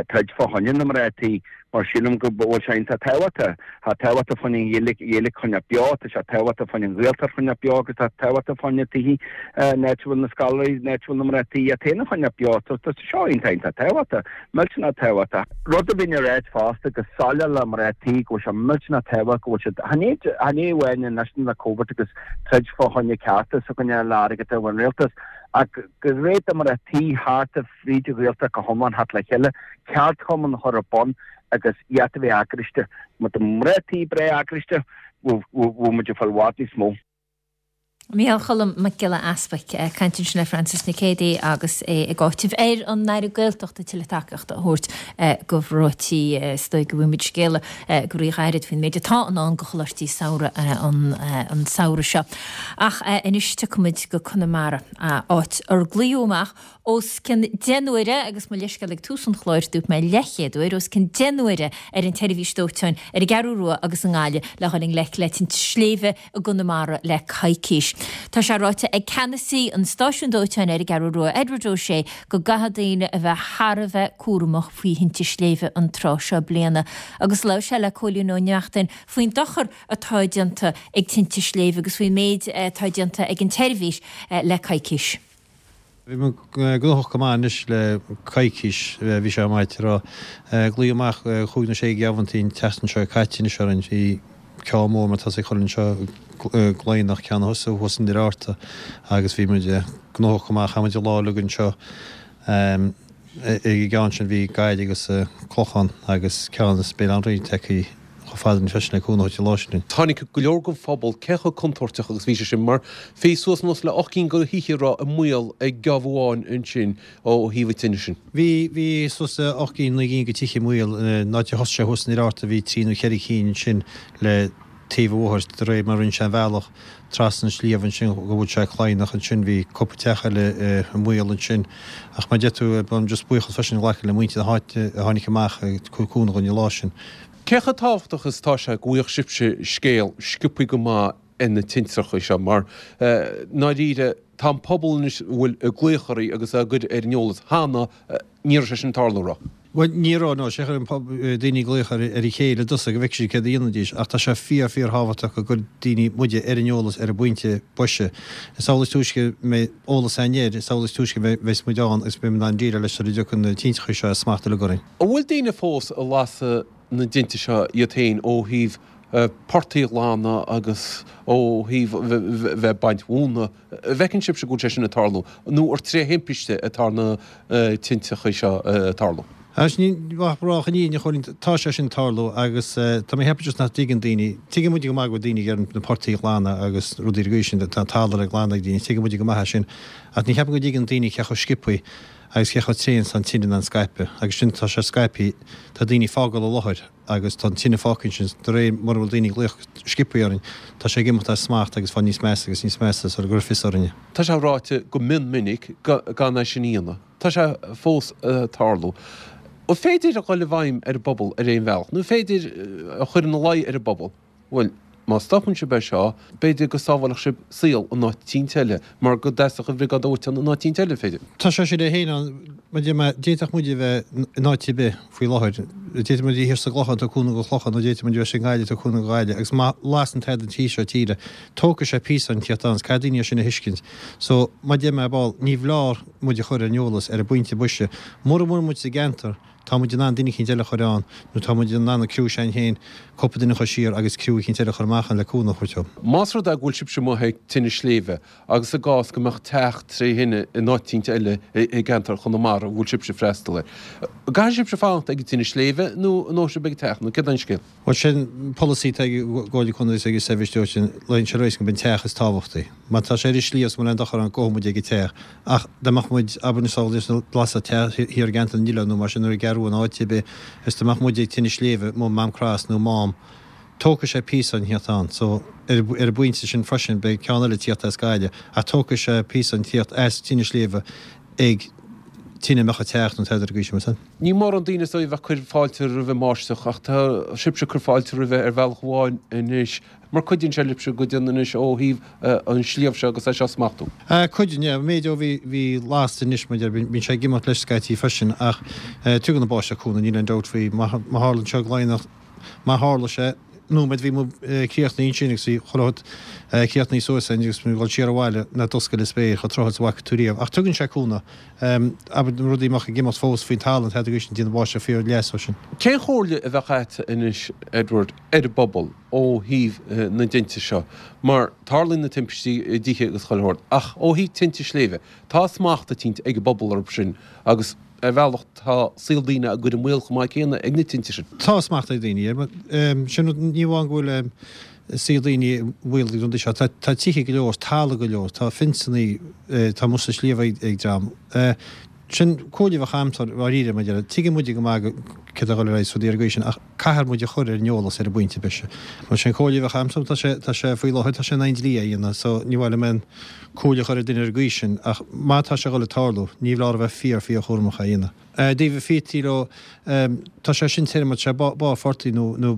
troid fá choinne na mná tí. Mar sílim go bhfuil sé iontach tábhachtach. Tá tábhachtach fá choinne an Ghaeilge, Ghaeilge a choinneáil beo, tá sé tábhachtach fá choinne an Ghaeltacht a choinneáil beo agus tá tábhachtach fá choinne tithe, an áit a bhfuil na scoláirí, an áit a bhfuil na mná tí iad féin a choinneáil beo. So tá seo iontach, iontach tábhachtach. Millteanach tábhachtach. Rud a bhínn ag ráit fosta go soiléir le mná tí go bhfuil sé millteanach tábhachtach go bhfuil siad, chan é, chan é amháin anois le Covid agus troid fá choinne cearta s'againne le airgead ón rialtas ach gur réidh do mná tí thart a fríd an Ghaeltacht go hiomlán theacht le chéile, ceardchumann a chur ar bun agus iad a bheith eagraiste. Má tá mná tí breá eagraiste, bheadh muid ag fáil i bhfad níos mó. Micheál Choilm Mac Giolla Easpaig ag caint ansin le Francis Nic Géadaigh agus é ag áiteamh ar an Aire Gaeltachta tuilleadh tacaíochta a thabhairt do mhná tí. Is dóigh go bhfaighidh muid scéala go rí-ghairid faoin méid atá i ndán do choláistí samhraidh an samhradh seo. Ach anois tiocfaimid go Conamara, áit ar glaodh amach Os cionn 10 n-uaire, agus mo leithscéal ag tús an chláir, dúirt mé leathchéad uair, os cionn 10 n-uaire ar an tseirbhís dóiteáin ar an gCeathrú Rua agus i nGaillimh le dhul i ngleic le tinte sléibhe i gConamara le coicís. Tá sé ráite ag ceannasaí an stáisiúin dóiteáin ar an gCeathrú Rua, Edward O'Shea, go gcaithfidh daoine a bheith thar a bheith cúramach faoi thinte sléibhe an tráth seo bliana agus labhair sé le Cóilín Ó Neachtain faoin dochar atá déanta ag tinte sléibhe agus faoin méid atá déanta ag an tseirbhís le coicís. Bhí muid gnóthach go maith anois le coicís, bhí sé maith tráth. Glaodh amach chúig nó sé gheamhantaí an tseachtain seo caite anois orainn. Bhí ceann mór mar tosaigh chur anseo gCloigheannach, ceann thuas thuas i nDoire Fhatharta agus bhí muid gnóthach go maith. Chaith muid an lá uilig anseo. Ag an gceann sin bhí Gaillimh agus Clochán agus ceann as Béal Átha an Rí tagtha. chomh fada linn freisin le cúnamh a thabhairt an lá sin linn. Tháinig go leor den phobal, cé chomh contúirteach agus bhí sé sin, mar bhí suas anuas le 8 gcinn de thithe a raibh i mbaol ag geábh amháin ansin ó thaobh an tine sin. Bhí, bhí suas le 8 gcinn, 9 gcinn de tithe i mbaol, an áit a thosaigh sé thuas in Oirthear bhí trí nó cheithre cinn ansin le taobh an bhóthair de réir mar a rinne sé an bhealach trasna an sliabh ansin go bhfuil sé Cladhnach ansin bhí cúpla teach eile i mbaol ansin ach mar a deir tú bím just buíochas freisin a ghlacadh le muintir na háite a tháinig amach ag cur cúnamh dhúinn an lá sin. Cé chomh tábhachtach is atá sé go bhfaigheadh sibhse scéal sciobthaí go maith ar na tintreacha seo mar i ndáiríre tá an pobal anois a bhfuil ag glaoch oraibh agus á gcur ar an eolas cheana ní raibh sé sin ag tarlú an raibh? Bhuel, ní raibh, no. Sé chuir an pobal, daoine ag glaoch ar a chéile i dtosach go bhfeicfidh siad céard a dhéanfaidís, ach tá sé fíor, fíor thábhachtach go gcuir daoine muide ar an eolas ar an bpointe boise. Is amhlaidh is túisce a mbeidh eolas againn air, is amhlaidh is túisce a bheas muid ann agus beidh muid in ann déileáil leis sula dtiocfaidh na tintreacha seo as smacht uilig orainn. An bhfuil daoine fós ag lasadh na dtinte seo iad féin ó thaobh portaigh a ghlanadh agus ó thaobh bheith ag baint mhóna? An bhfeiceann sibhse go bhfuil sé sin ag tarlú nó ar tré thimpiste atá na tinteacha seo ag tarlú? Anois, ní maith rá an fhírinne a Chóilín, tá sé sin ag tarlú agus tá mé ag ceapadh just nach dtuigeann daoine, tuigeann muide go maith go bhfuil daoine ag iarraidh na portaigh a ghlanadh agus rudaí ar an gcaoi sin, tá an talamh le glanadh ag daoine, tuigeann muide go maith é sin ach ní cheapaim go dtuigeann daoine cé chomh sciobthaí agus cé chomh tréan is tá an tine in ann scaipeadh agus sin, tá sé scaipthe, tá daoine ag fágáil an láthair. agus tá an tine fágtha ansin, de réir mura bhfuil daoine ag glaoch sciobthaí orainn, tá sé ag imeacht as smacht agus fáil níos measa agus níos measa sula gcuirfear fios orainne. Tá sé ráite go mion minic gan é sin a dhéanamh. Tá sé fós ag tarlú. An féidir a dhul i bhfeidhm ar an bpobal ar aon bhealach, nó an féidir a chur ina luí ar an bpobal, bhuel, má stopann sibh é seo, b'fhéidir go sábhálfadh sibh saol in áit eicínt eile, mar go dteastódh an bhriogáid dóiteáin in áit eicínt eile, b'fhéidir. Tá sé sin é féin ann, mar deir mé, d'fhéadfadh muid a bheith in áit ar bith faoi láthair. D'fhéadfadh muid a bheith thiar sa gClochán, ag tabhairt cúnamh don Chlochán, nó d'fhéadfadh muid a bheith i nGaillimh, ag tabhairt cúnamh do Ghaillimh, agus má lasann tada an taobh seo tíre, tógfaidh sé píosa an tíocht ann, is caithfidh daoine é sin a thuiscint. So, mar deir mé, ball, ní foláir muid a chur ar an eolas ar an bpointe boise. Mura bhfuil muid sa gceantar, Tá muid in ann duine eicínt eile a chur ann, nó tá muid in ann an criú s'againn féin, cúpla duine a chur siar agus criú eicínt eile a chur amach ann le cúnamh a thabhairt dóibh. Más rud é go bhfuil sibhse amuigh ag tine sléibhe agus i gcás go mbeadh teach tré thine in áit eicínt eile i gceantar Chonamara a bhfuil sibhse ag freastal air, an gcaithfidh sibhse fanacht ag an tine sléibhe nó an ngabhfaidh sibh ag an teach nó céard é an scéal? Bhuel, sin polasaí atá ag an gComhairle Contae agus ag an Seirbhís Dóiteáin, lean sé ar aghaidh gurb an teach is tábhachtaí. Má tá sé ar an sliabh is mura bhfuil aon dochar ann, gabhfaidh muid ag an teach. Ach dá mbeadh muid, abair anois dá lasfadh teach thiar i gceantar na nOileán nó mar sin nó i gCeathrú Rua nó áit ar bith, is dá mbeadh muid ag tine sléibhe, i Mám Crois nó Mám, tógfaidh sé píosa an tíocht ann. So, ar an bpointe sin freisin, beidh ceann eile ag tíocht as Gaillimh, ach tógfaidh sé píosa an tíocht as tine sléibhe ag tine a mbeadh ag teacht nó tada ar an gcaoi sin, meas tú? Ní mórán daoine is dóigh a bheadh ag cur fáilte roimh an mbáisteach ach tá sibhse ag cur fáilte roimhe ar bhealach amháin anois mar cuidíonn sé libhse go deimhin anois ó thaobh an sliabh seo agus é seo a smachtú. Cuidíonn, yeah. An méid ó bhí, bhí lasta anois mar deir, bíonn sé ag imeacht leis scaití freisin ach tugann an báisteach cúnamh, níl aon dabht faoi. Má tharlaíonn sé i gCladhnach, Má tharla sé, nóiméad bhí muid críochnaithe ansin agus bhí chuile shórt críochnaithe suas againn agus muid ag dul siar abhaile ná d'oscail an spéir chomh tráthúil is a bhfaca tú riamh. Ach tugann sé cúnamh. Abair na rudaí a mbeadh ag imeacht fós faoin talamh tada agus déanann an bháisteach fíor leas ó sin. Cén chomhairle a bheadh agat anois, Edward, ar an bpobal ó thaobh na dtinte seo? Mar tarlaíonn na timpistí i dtithe agus chuile shórt, ach ó thaobh tinte sléibhe, tá smacht eicínt ag an bpobal orthu sin agus, Ar bhealach, tá saol daoine á gcur i mbaol chomh maith céanna ag na tinte sin. Tá smacht ag daoine air. Sin rud, ní amháin go bhfuil saol daoine i mbaol ag na rudaí seo, tá tithe go leor, talamh go leor, tá fionsannaí, tá amuigh sa sliabh ag dream. Sin comhairle a bheadh a'msa dháiríre, mar deir, tuigeann muide go maith céard atá ag dul ar aghaidh is rudaí ar an gcaoi sin ach caithfear muid a chur ar an eolas ar an bpointe boise. Mar sin comhairle a bheadh a'msa, tá sé, tá sé faoi láthair, tá sé in aghaidh an dlí é a dhéanamh so ní mhaith liom aon comhairle a chur ar duine ar an gcaoi sin ach má tá sé ag dul ag tarlú, ní foláir a bheith fíor, fíor chúramach é a dhéanamh. I dtaobh na phíotaí leo, tá sé sin tirim, tá sé barr phortaigh nó, nó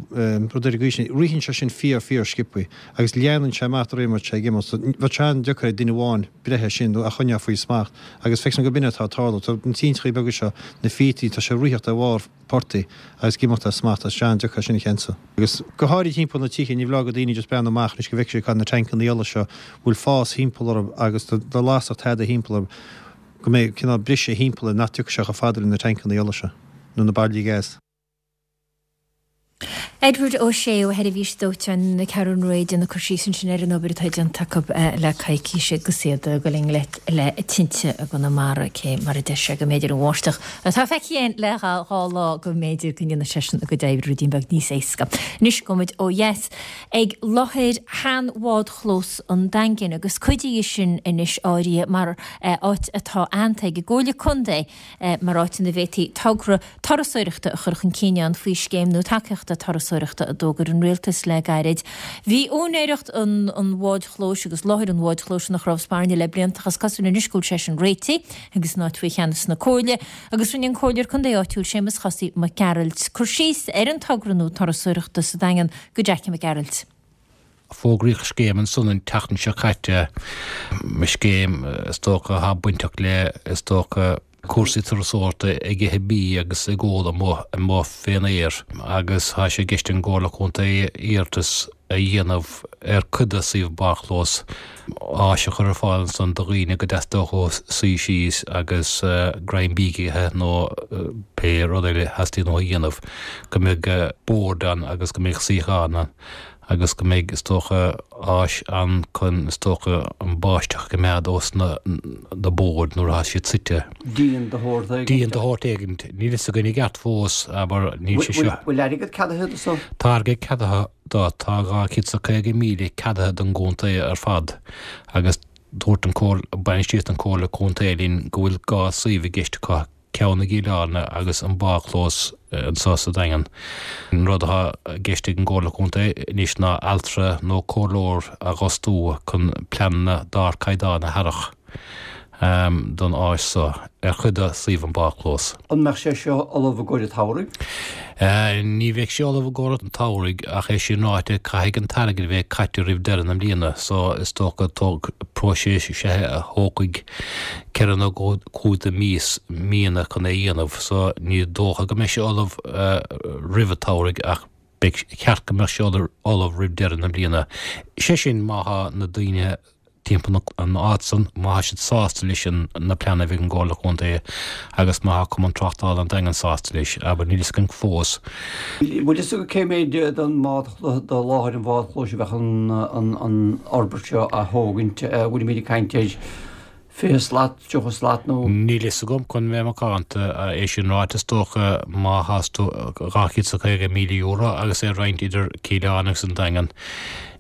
rud ar an gcaoi sin, ritheann sé sin fíor, fíor sciobthaí agus leanann sé amach de réir mar atá sé ag imeacht so bheadh sé an-deacair ag duine amháin breith air sin nó a choinneáil faoi smacht agus feictear dom gurb in atá ag tarlú. Tá na tintreachaí beaga seo, na phíotaí, tá sé ag ritheacht ar bharr portaigh agus ag imeacht as smacht tá sé an-deacair sin a cheansú. Agus go háirid thimpeall na tithe, ní foláir do daoine just breathnú amach anois go bhfeicfidh siad cá na tancannaí ola seo bhfuil fás thimpeall orthu agus dá lasfadh tada thimpeall orthu go mbeidh cineál briseadh thimpeall air nach dtiocfaidh sé chomh fada le na tancannaí ola seo nó na bairillí gas. Edward Ó Sé ó Sheirbhís Dóiteáin na Ceathrún Rua ag déanamh cur síos ansin ar an obair atá déanta acu le coicís agus iad ag dul i ngleic le tinte i gConamara, cé mar a deir sé go mb'fhéidir an bháisteach atá feicthe againn le dhá lá go mb'fhéidir go ndéanfaidh sé sin a gcuid oibre ruidín beag níos éasca. Anois gabhfaidh muid ó dheas ag láthair shean-bhádchlós an Daingin agus cuid dhe sin anois áirithe mar áit atá aitheanta ag an gComhairle Contae mar áit ina bhféadfaí togra turasóireachta a chur chun cinn ann faoi scéim nua tacaíochta turasóireachta a d'fhógair an Rialtas le gairid. Bhí úinéireacht an bháid chlóis agus láthair an bháid chlóis ina chnámh spairne le blianta ach is cosúil anois go bhfuil sé sin réitithe agus an áit faoi cheannas na Comhairle agus rinne an Comhairleoir Contae áitiúil Séamus Chosaí Mac Gearailt cur síos ar an togra nua turasóireachta sa Daingean go Jackie Mac Gearailt. Fógraíodh scéim ansan an tseachtain seo caite, scéim is dócha atá bainteach le, is dócha, cúrsaí turasóireachta ag ithe bídh agus ag ól amuigh, amuigh fén aer agus tá sé i gceist ag an gComhairle Contae iarratas a dhéanamh ar cuid de suíomh bádchlós áis a chur ar fáil ansan do dhaoine go dteastódh uathu suí síos agus greim bídh a ithe nó pé rud eile a theastaíonn uathu a dhéanamh, go mbeidh boird ann agus go mbeidh suíocháin ann. agus go mbeidh, is dócha, áis ann chun, is dócha, an báisteach a choimeád ós na na boird nuair atá siad suite. Díon de shórt éigint. Díon de shórt éigint. Níl fhios againn i gceart fós, abair, níl sé seo. Bhfuil airgead ceadaithe do so? Tá airgead ceadaithe do. Tá 250,000 ceadaithe don gcontae ar fad agus dúirt an Comhairle, bainistíocht an Chomhairle Contae linn go bhfuil 2 suíomh i gceist acu, ceann i gCill Airne agus an bádchlós anseo sa Daingean. An rud atá i gceist ag an gComhairle Contae anois ná altra nó comhairleoir a dh'fhostú chun pleananna d'ardchaighdeán a tharrac don áis so ar chuid de suíomh an bádchlós. An mbeadh sé seo ullamh i gcomhair an tsamhraidh? Ní bheidh sé ullamh i gcomhair an tsamhraidh ach é sin ráite caithfidh an t-airgead a bheith caite roimh deireadh na bliana so is dócha tóg próiseas is ea é a thógfaidh 4 nó 5 de mhíos, míonna chun é a dhéanamh so ní dócha go mbeidh sé ullamh roimh an tsamhraidh ach ba cheart go mbeadh sé ullamh roimh deireadh na bliana. Sé sin má thá na daoine timpeall an áit san, má thá siad sásta leis na pleananna a bhí ag an gComhairle Contae agus má thá Cumann Tráchtála an Daingin sásta leis, abair, níl fhios againn fós. Bhfuil fhios agat cé méid den bhád, de láthair an bhádchlóis a bheadh an fhorbairt seo a thógaint? Bhfuilimid ag caint ar 20 slat, 30 slat nó. Níl fhios agam, chun bheith macánta. É sin ráite, is dócha má thás tú €250,000 agus é a roinnt idir Cill Airne agus an Daingean,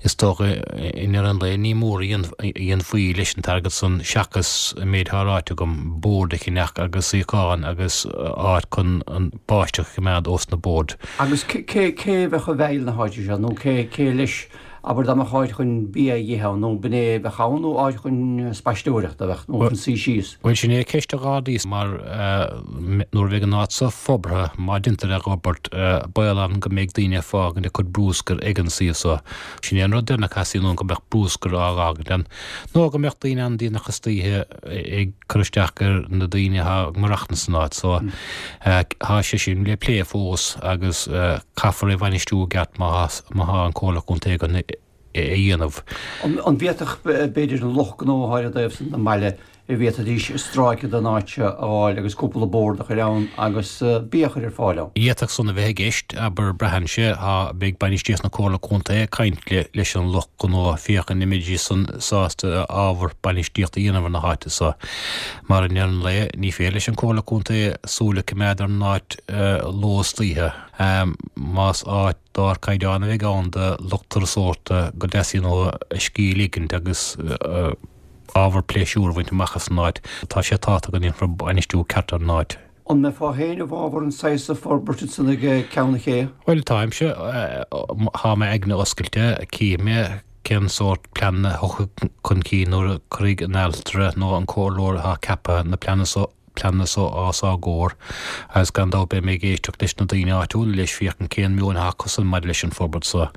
is dócha i ndeireadh an lae ní mór a dhéanfaí leis an t-airgead san seachas an méid atá ráite agam, boird a cheannach agus suíocháin agus áit chun an báisteach a choimeád ós na boird. Agus cé cé a bheadh i bhfeighil na háite seo nó cé cé leis Abair dá mbeadh áit chun bia a ithe ann, nó b'in é a bheadh ann, nó áit chun spaisteoireachta a bheadh, nó chun suí síos. Bhuel, sin é ceist an Ghardaí, mar nuair a bheidh an áit so forbartha, má deintear é a dh'fhorbairt, baol ann go mbeidh daoine ag fágaint a gcuid brúscair ag an suíomh so. Sin é an rud deireanach a theastaíonn uainn, go mbeadh brúscar á dh'fhágaint ann, nó go mbeadh daoine ann déanach istoíche ag cur isteach ar na daoine atá ag maireachtaint san áit so. Tá sé sin le plé fós agus caithfear é a bhainistiú i gceart má tá an Comhairle Contae chun é a dhéanamh. An bhféadfadh b'fhéidir an lucht gnó atá ar an dtaobh san den mbaile, an bhféadfaidís stráice den áit seo a fháil agus cúpla bord a chur ann agus bia a chur ar fáil ann? D'fhéadfadh san a bheith i gceist, abair, braitheann sé, tá, beidh bainistíocht na Comhairle Contae ag caint leis an lucht gnó féachaint an mbeidís san sásta ábhar bainistíochta a dhéanamh ar na háite so. Mar i ndeireadh an lae, ní féidir leis an Comhairle Contae súil a coimeád ar an áit ló is oíche. Más áit d'ardchaighdeán a bheidh ann do lucht turasóireachta go dteastaíonn uathu a scíth a ligint agus ábhar pléisiúir a bhaint amach as an áit, tá sé tábhachtach go ndéanfar bainistiú ceart ar an áit. An mbeifeá féin i bhfabhar an saghas forbairt ansan ag Ceann an Ché? Bhuel, táimse, tá m'aigne oscailte, cífidh mé cén sórt pleananna a thiocfaidh chun cinn nuair a cuirfidh an altra nó an comhairleoir atá ceaptha na pleananna so pleananna so os ár gcomhair agus gan dabht beidh mé ag éisteacht leis na daoine áitiúla leis féachaint cén meon atá acusan maidir leis an forbairt so.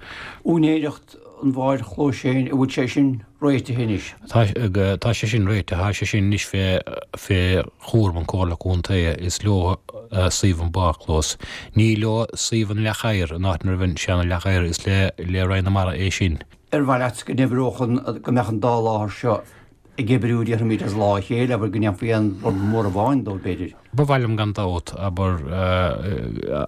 Úinéireacht an bháid chlóis féin, an bhfuil sé sin réitithe anois? Tá, tá sé sin réitithe, tá sé sin anois fé, fé chúram an Comhairle Contae, is leo suíomh an bádchlós. Ní leo suíomh an Leac Oighir, an áit ina raibh an seana Leac Oighir, is le, le Roinn na Mara é sin. Ar mhaith leat go n-oibreodh an, go mbeadh an dá láthair seo. ag oibriú, déarfaimid, as lámh a chéile, abair, go ndéanfaí aon rud mór amháin dóibh, b'fhéidir. Ba mhaith liom gan dabht, abair,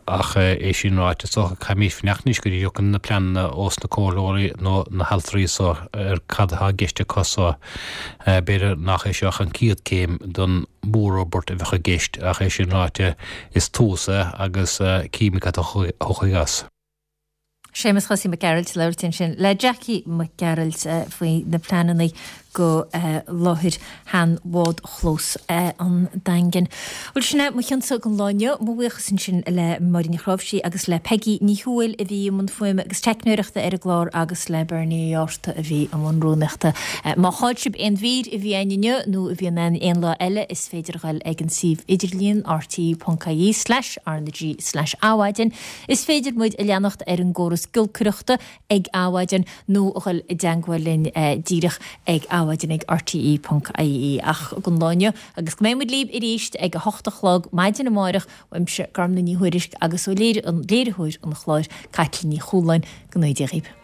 ach é sin ráite, is dócha, caithfimid fanacht anois go dtí go dtiocfaidh na pleananna ós na comhairleoirí nó na haltraí so ar cad atá i gceist acu so. B'fhéidir nach é seo ach an chéad céim don mhórfhorbairt a bheadh i gceist, ach é sin ráite, is tús é agus cífimid cad a thiocfaidh as. Séamus Chosaí Mac Gearailt ag labhairt ansin le Jackie Mac Gearailt faoi na pleananna go láthair shean-bhádchlós an Daingin. Bhuel sin é mo chionsa don lá inniu. Mo bhuíochas ansin le Máirín Ní Chnáimhsí agus le Peigí Ní Thuathail a bhí i mbun fuaime agus teicneoireachta ar an gclár agus le Bernie Ó Átharta a bhí i mbun rúnaíochta. Má chaill sibh aon mhír a bhí againn inniu nó a bhíonn againn aon lá eile is féidir a ghoil ag an suíomh idirlíon rte.ie slash rnag slash adhmhaidin. Is féidir muid a leanacht ar an gcóras giolcaireachta ag Adhmhaidin nó a dhul i dteangmháil linn díreach ag adhmhaidin ag rte ponc ie. Ach don lá inniu, agus go mbeidh muid libh arís ag a hocht a chlog maidin amárach, uaimse Gormfhlaith Ní Thuairisg agus ó léiritheoir an chláir, Caitlín Ní Chualáin, go ngnóthaí Dia dhaoibh.